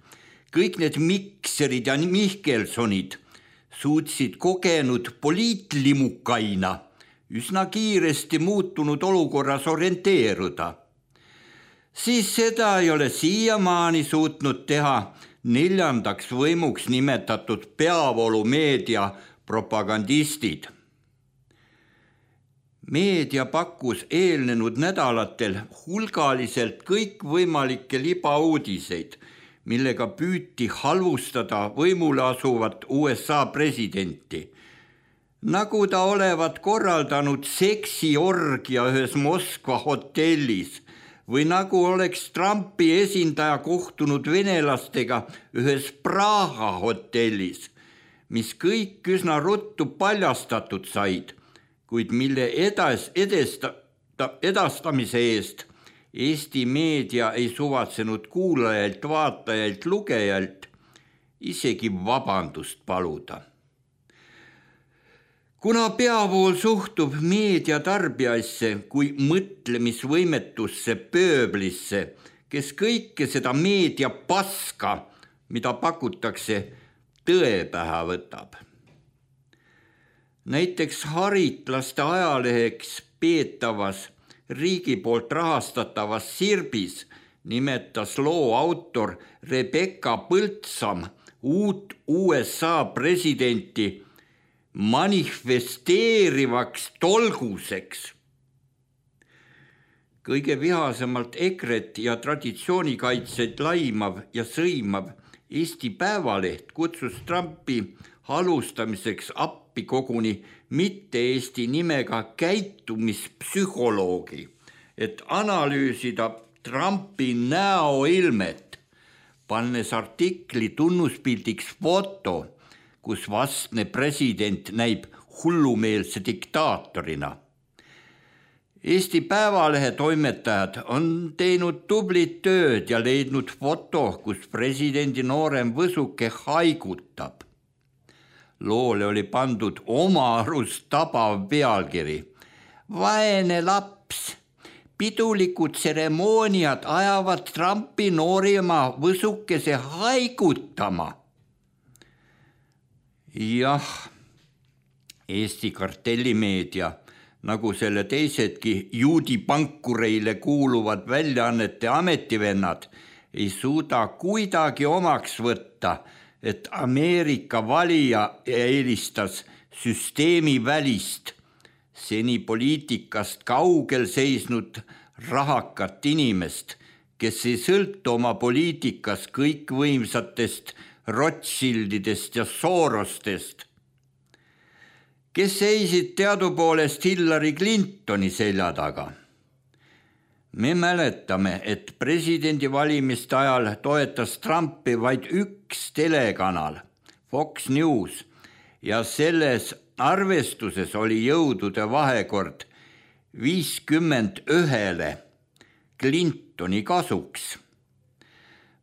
S4: kõik need Mikserid ja Mihkelsonid suutsid kogenud poliitlimukaina üsna kiiresti muutunud olukorras orienteeruda, siis seda ei ole siiamaani suutnud teha neljandaks võimuks nimetatud peavoolumeedia propagandistid. Meedia pakkus eelnenud nädalatel hulgaliselt kõikvõimalikke libauudiseid, millega püüti halvustada võimule asuvat USA presidenti, nagu ta olevat korraldanud seksiorgia ühes Moskva hotellis või nagu oleks Trumpi esindaja kohtunud venelastega ühes Praha hotellis, mis kõik üsna ruttu paljastatud said, kuid mille edastamise eest Eesti meedia ei suvatsenud kuulajalt, vaatajalt, lugejalt isegi vabandust paluda. Kuna peavool suhtub meedia tarbijaisse kui mõtlemisvõimetusse pööblisse, kes kõike seda meedia paska, mida pakutakse, tõe pähe võtab. Näiteks haritlaste ajaleheks peetavas riigi poolt rahastatavas Sirbis nimetas loo autor Rebecca Põldsam uut USA presidenti manifesteerivaks tolguseks. Kõige vihasemalt EKRE-t ja traditsioonikaitseid laimav ja sõimav Eesti Päevaleht kutsus Trumpi halvustamiseks appi koguni mitte Eesti nimega käitumispsühholoogi, et analüüsida Trumpi näoilmet, pannes artikli tunnuspildiks foto, kus vastne president näib hullumeelse diktaatorina. Eesti Päevalehe toimetajad on teinud tublit tööd ja leidnud foto, kus presidendi noorem võsuke haigutab. Loole oli pandud oma arust tabav pealkiri. Vaene laps, pidulikud tseremooniad ajavad Trumpi noorima võsukese haigutama. Jah, Eesti kartellimeedia, nagu selle teisedki juudipankureile kuuluvad väljaannete ametivennad, ei suuda kuidagi omaks võtta, et Ameerika valija eelistas süsteemi välist, seni poliitikast kaugel seisnud rahakat inimest, kes ei sõltu oma poliitikas kõikvõimsatest Rothschildidest ja Sorostest, kes seisid teadupoolest Hillary Clintoni selja taga. Me mäletame, et presidendivalimiste ajal toetas Trumpi vaid üks telekanal, Fox News, ja selles arvestuses oli jõudude vahekord 51 Clintoni kasuks,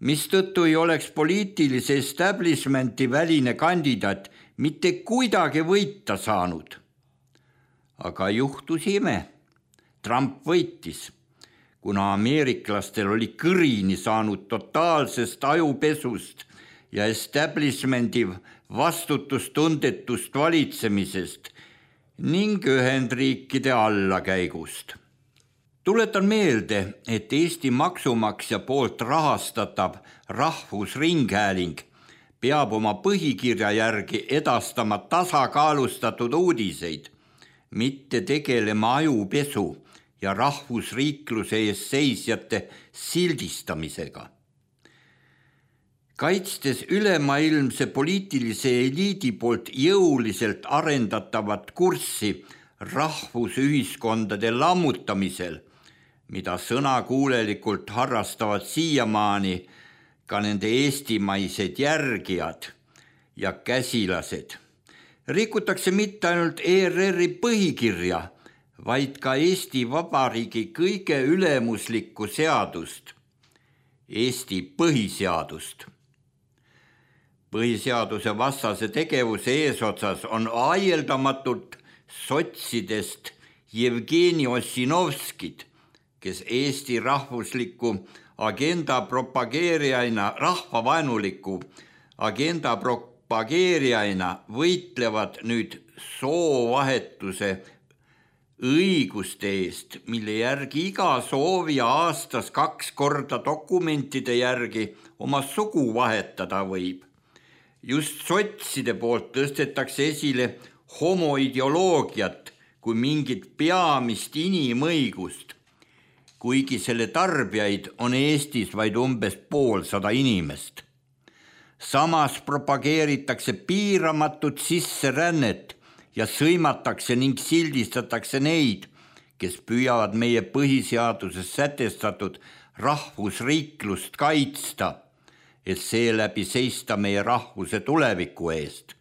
S4: mistõttu ei oleks poliitilise establishmenti väline kandidaat mitte kuidagi võita saanud. Aga juhtus ime. Trump võitis, kuna ameeriklastel oli kõrini saanud totaalsest ajupesust ja establishmendi vastutustundetust valitsemisest ning Ühendriikide allakäigust. Tuletan meelde, et Eesti maksumaksja poolt rahastatav Rahvusringhääling peab oma põhikirja järgi edastama tasakaalustatud uudiseid, mitte tegelema ajupesu ja rahvusriikluse eest seisjate sildistamisega. Kaitstes ülemaailmse poliitilise eliidi poolt jõuliselt arendatavat kurssi rahvusühiskondade lammutamisel, mida sõnakuulelikult harrastavad siiamaani ka nende eestimaised järgijad ja käsilased, rikutakse mitte ainult ERR-i põhikirja, vaid ka Eesti Vabariigi kõige ülemuslikku seadust, Eesti põhiseadust. Põhiseaduse vastase tegevuse eesotsas on aieldamatult sotsidest Jevgeni Ossinovskid, kes Eesti rahvusliku agenda propageerijaina, rahvavaenuliku agenda propageerijaina võitlevad nüüd soovahetuse õiguste eest, mille järgi iga soovija aastas 2 korda dokumentide järgi oma sugu vahetada võib. Just sotside poolt tõstetakse esile homoideoloogiat kui mingit peamist inimõigust, kuigi selle tarbijaid on Eestis vaid umbes 50 inimest. Samas propageeritakse piiramatut sisserännet ja sõimatakse ning sildistatakse neid, kes püüavad meie põhiseaduses sätestatud rahvusriiklust kaitsta, et seeläbi seista meie rahvuse tuleviku eest.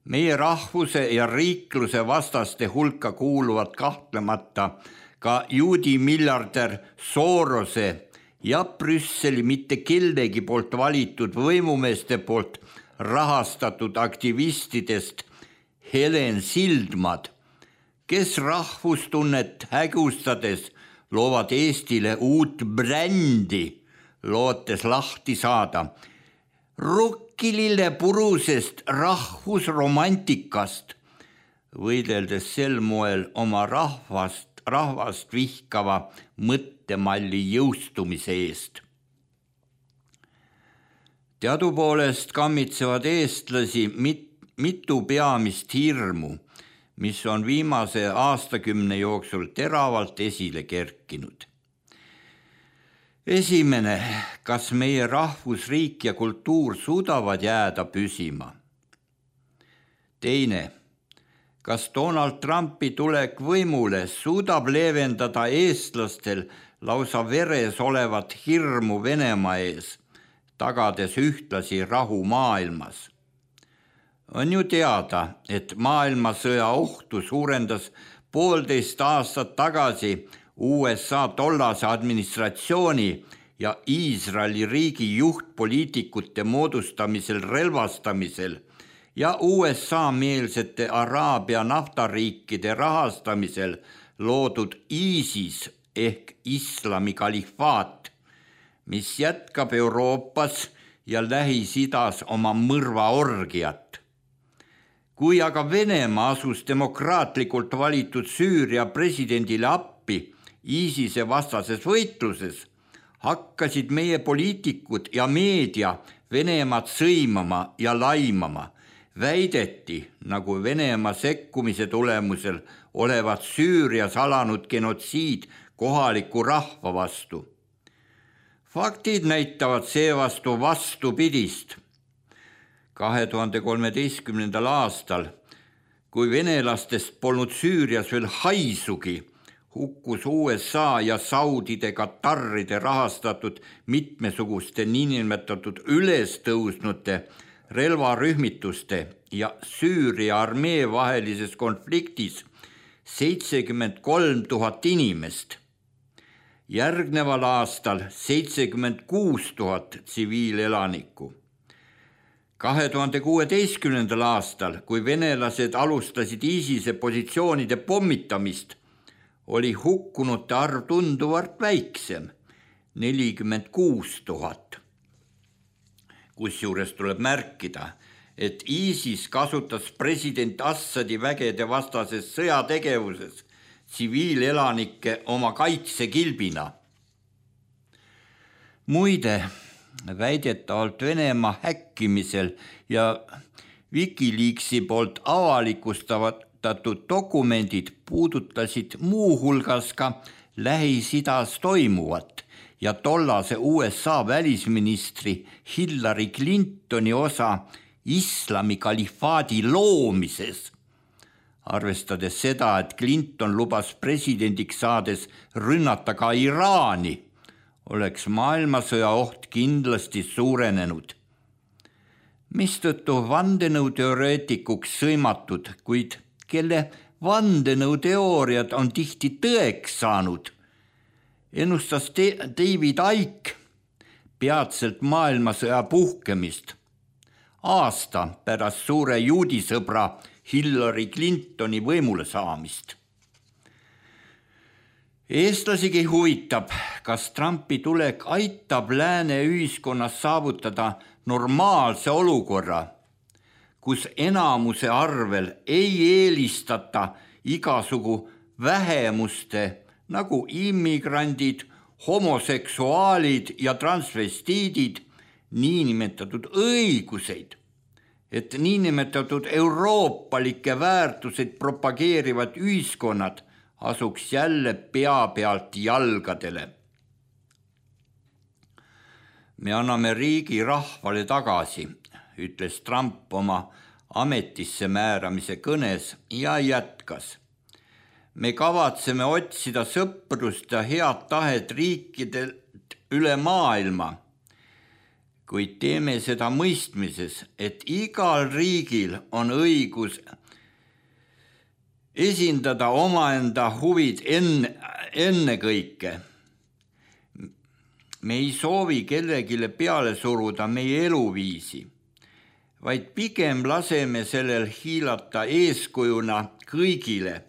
S4: Meie rahvuse ja riikluse vastaste hulka kuuluvad kahtlemata ka juudi miljardär Sorose ja Brüsseli mitte kellegi poolt valitud võimumeeste poolt rahastatud aktivistidest Helen Sildmad, kes rahvustunnet hägustades loovad Eestile uut brändi, lootes lahti saada rukkilille purusest rahvusromantikast, võideldes sel moel oma rahvast vihkava mõttemalli jõustumise eest. Teadupoolest kammitsevad eestlasi mitu peamist hirmu, mis on viimase aastakümne jooksul teravalt esile kerkinud. Esimene, kas meie rahvusriik ja kultuur suudavad jääda püsima? Teine, kas Donald Trumpi tulek võimule suudab leevendada eestlastel lausa veres olevat hirmu Venemaa ees, tagades ühtlasi rahu maailmas? On ju teada, et maailmasõja ohtu suurendas 1,5 aastat tagasi USA tollase administratsiooni ja Iisraeli riigi juhtpoliitikute moodustamisel relvastamisel ja USA-meelsete Araabia naftariikide rahastamisel loodud ISIS ehk islami kalifaat, mis jätkab Euroopas ja Lähis-Idas oma mõrvaorgiat. Kui aga Venemaa asus demokraatlikult valitud Süüria presidendile appi ISISe vastases võitluses, hakkasid meie poliitikud ja meedia Venemaad sõimama ja laimama. Väideti, nagu Venemaa sekkumise tulemusel olevat Süürias alanud genotsiid kohaliku rahva vastu. Faktid näitavad seevastu vastupidist. 2013. aastal, kui venelastest polnud Süürias veel haisugi, hukkus USA ja saudide Katarride rahastatud mitmesuguste niinimetatud ülestõusnute relvarühmituste ja Süüria armee vahelises konfliktis 73 000 inimest. Järgneval aastal 76 000 tsiviilelanikku. 2016. aastal, kui venelased alustasid ISISe positsioonide pommitamist, oli hukkunute arv tunduvalt väiksem, 46 000. Kusjuures tuleb märkida, et ISIS kasutas president Assadi vägede vastases sõjategevuses tsiviilelanikke oma kaitsekilbina. Muide, väidetavalt Venemaa häkkimisel ja Wikileaksi poolt avalikustatud dokumendid puudutasid muuhulgas ka Lähis-Idas toimuvat ja tollase USA välisministri Hillary Clintoni osa islami kalifaadi loomises. Arvestades seda, et Clinton lubas presidendiks saades rünnata ka Iraani, oleks maailmasõja oht kindlasti suurenenud. Mistõttu vandenõuteoreetikuks sõimatud, kuid kelle vandenõuteooriad on tihti tõeks saanud, ennustas David Icke peatselt maailmasõja puhkemist aasta pärast suure juudisõbra Hillary Clintoni võimule saamist. Eestlasigi huvitab, kas Trumpi tulek aitab lääne ühiskonnas saavutada normaalse olukorra, kus enamuse arvel ei eelistata igasugu vähemuste nagu immigrandid, homoseksuaalid ja transvestiidid niinimetatud õiguseid, et niinimetatud euroopalikke väärtuseid propageerivad ühiskonnad asuks jälle pea pealt jalgadele. Me anname riigi rahvale tagasi, ütles Trump oma ametisse määramise kõnes ja jätkas. Me kavatseme otsida sõprust ja head tahet riikidelt üle maailma, kuid teeme seda mõistmises, et igal riigil on õigus esindada omaenda huvid ennekõike. Me ei soovi kellegile peale suruda meie eluviisi, vaid pigem laseme sellel hiilata eeskujuna kõigile,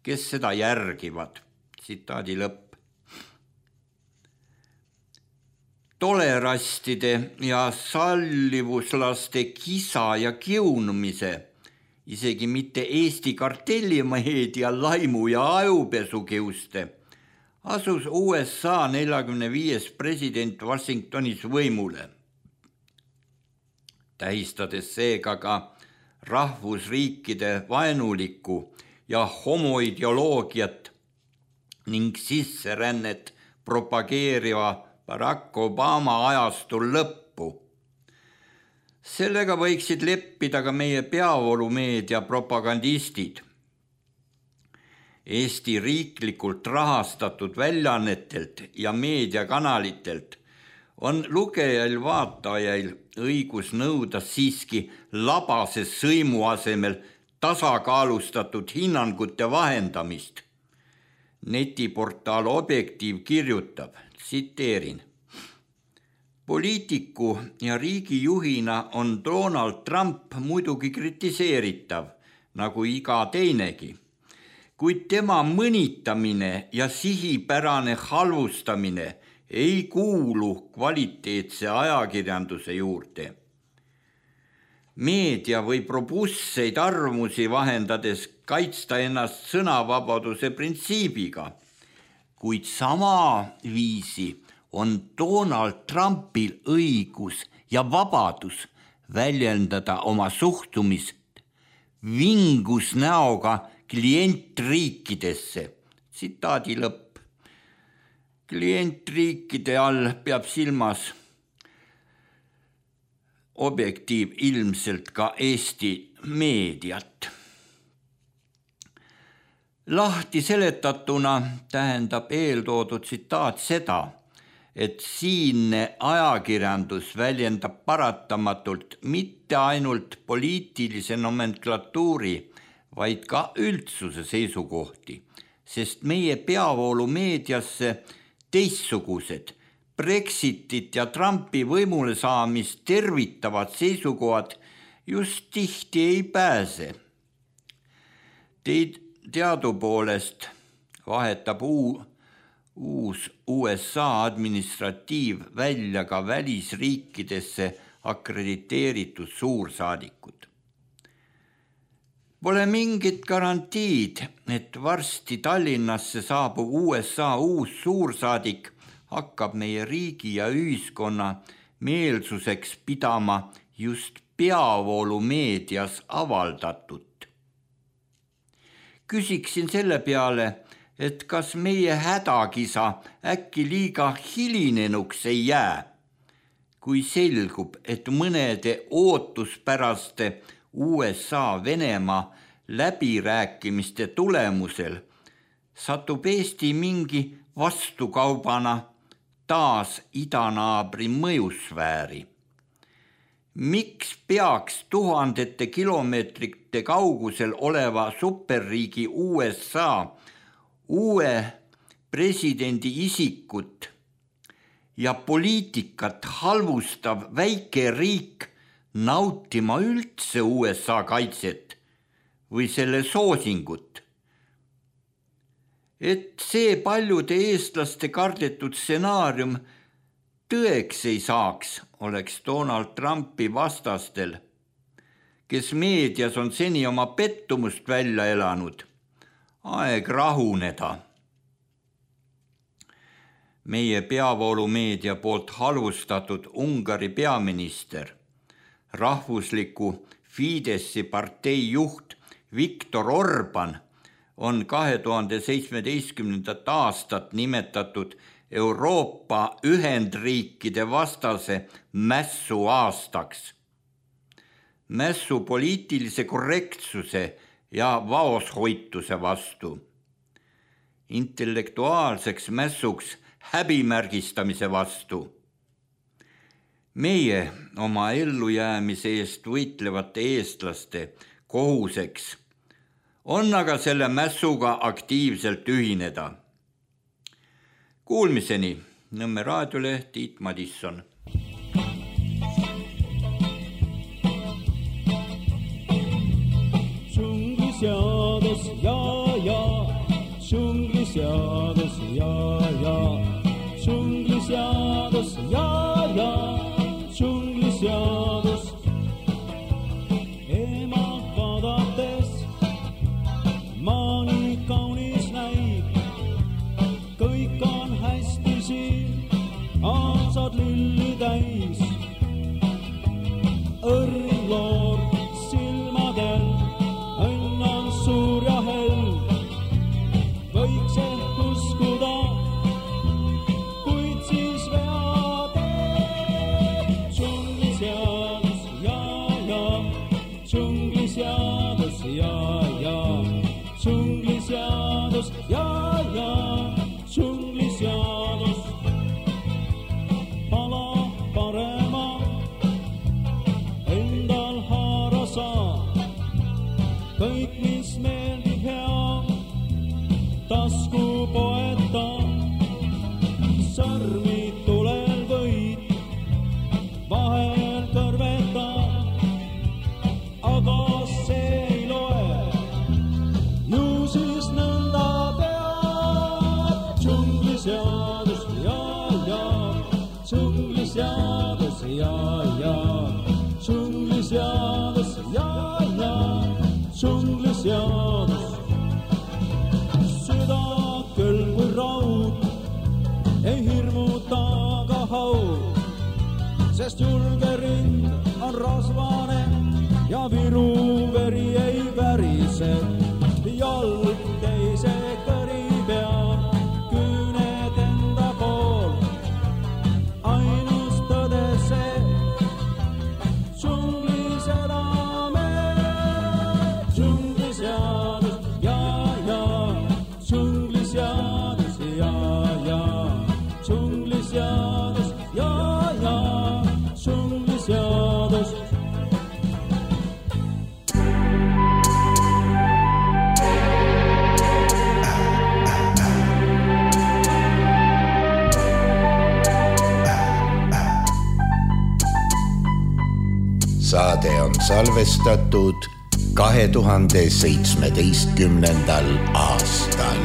S4: kes seda järgivad. Tsitaadi lõpp. Tolerastide ja sallivuslaste kisa ja kiunumise, isegi mitte Eesti kartellimeedia laimu ja ajupesukiuste, asus USA 45. president Washingtonis võimule, tähistades seega ka rahvusriikide vaenulikku ja homoideoloogiat ning sisserännet propageeriva Barack Obama ajastul lõppu. Sellega võiksid leppida ka meie peavoolumeedia propagandistid. Eesti riiklikult rahastatud väljaannetelt ja meediakanalitelt on lugejail-vaatajail õigus nõuda siiski labase sõimu asemel tasakaalustatud hinnangute vahendamist. Netiportaal Objektiiv kirjutab, tsiteerin. Poliitiku ja riigijuhina on Donald Trump muidugi kritiseeritav, nagu iga teinegi, kuid tema mõnitamine ja sihipärane halvustamine ei kuulu kvaliteetse ajakirjanduse juurde. Meedia võib robustseid arvamusi vahendades kaitsta ennast sõnavabaduse printsiibiga, kuid sama viisi on Donald Trumpil õigus ja vabadus väljendada oma suhtumist vingus näoga klientriikidesse. Tsitaadi lõpp. Klientriikide all peab silmas Objektiiv ilmselt ka Eesti meediat. Lahti seletatuna tähendab eeltoodud tsitaat seda, et siinne ajakirjandus väljendab paratamatult mitte ainult poliitilise nomenklatuuri, vaid ka üldsuse seisukohti, sest meie peavoolumeediasse teistsugused Brexitit ja Trumpi võimule saamist tervitavad seisukohad just tihti ei pääse. Teadupoolest vahetab uus USA administratiiv välja ka välisriikidesse akrediteeritud suursaadikud. Pole mingit garantiid, et varsti Tallinnasse saabub USA uus suursaadik hakkab meie riigi ja ühiskonna meelsuseks pidama just peavoolumeedias avaldatut. Küsiksin selle peale, et kas meie hädakisa äkki liiga hilinenuks ei jää, kui selgub, et mõnede ootuspäraste USA-Venemaa läbirääkimiste tulemusel satub Eesti mingi vastukaubana taas idanaabri mõjusfääri. Miks peaks tuhandete kilomeetrite kaugusel oleva superriigi USA uue presidendi isikut ja poliitikat halvustav väike riik nautima üldse USA kaitset või selle soosingut? Et see paljude eestlaste kardetud stsenaarium tõeks ei saaks, oleks Donald Trumpi vastastel, kes meedias on seni oma pettumust välja elanud, aeg rahuneda. Meie peavoolumeedia poolt halvustatud Ungari peaminister, rahvusliku Fideszi partei juht Viktor Orban on 2017. aastat nimetatud Euroopa Ühendriikide vastase mässu aastaks. Mässu poliitilise korrektsuse ja vaoshoituse vastu. Intellektuaalseks mässuks häbimärgistamise vastu. Meie oma ellujäämise eest võitlevate eestlaste kohuseks on aga selle mässuga aktiivselt ühineda. Kuulmiseni, Nõmme raadiole Tiit Madisson.
S5: Džungliseadus, ja, džungliseadus, ja, džungliseadus, ja, džungliseadus. Ema vaadates maa nii kaunis näib, kõik on hästi siin, aastad lülli täis. Õrnloor silmadel, õnn on suur ja hell, võiks ehk uskuda, kuid siis vead. Džungliseadus, ja, džungliseadus, ja, džungliseadus, ja, džungliseadus. Pala parema endal haara saa, kõik mis meeldib hea, tasku poeta, sõrmi tulel võid, vahel kõrveta, aga see ei loe, ju siis nõnda pead. Džungliseadus, ja, džungliseadus, ja, džungliseadus, ja, džungliseadus. Süda küll kui raud, ei hirmuta ka haud, sest julge rind on rasvane ja viru veri ei värise. Jalg teise kõri peal, küüned enda pool, ainus tõde see, džunglis elame. Džungliseadus, ja, džungliseadus, ja, džungliseadus, ja, džungliseadus.
S3: Saade on salvestatud 2017. aastal.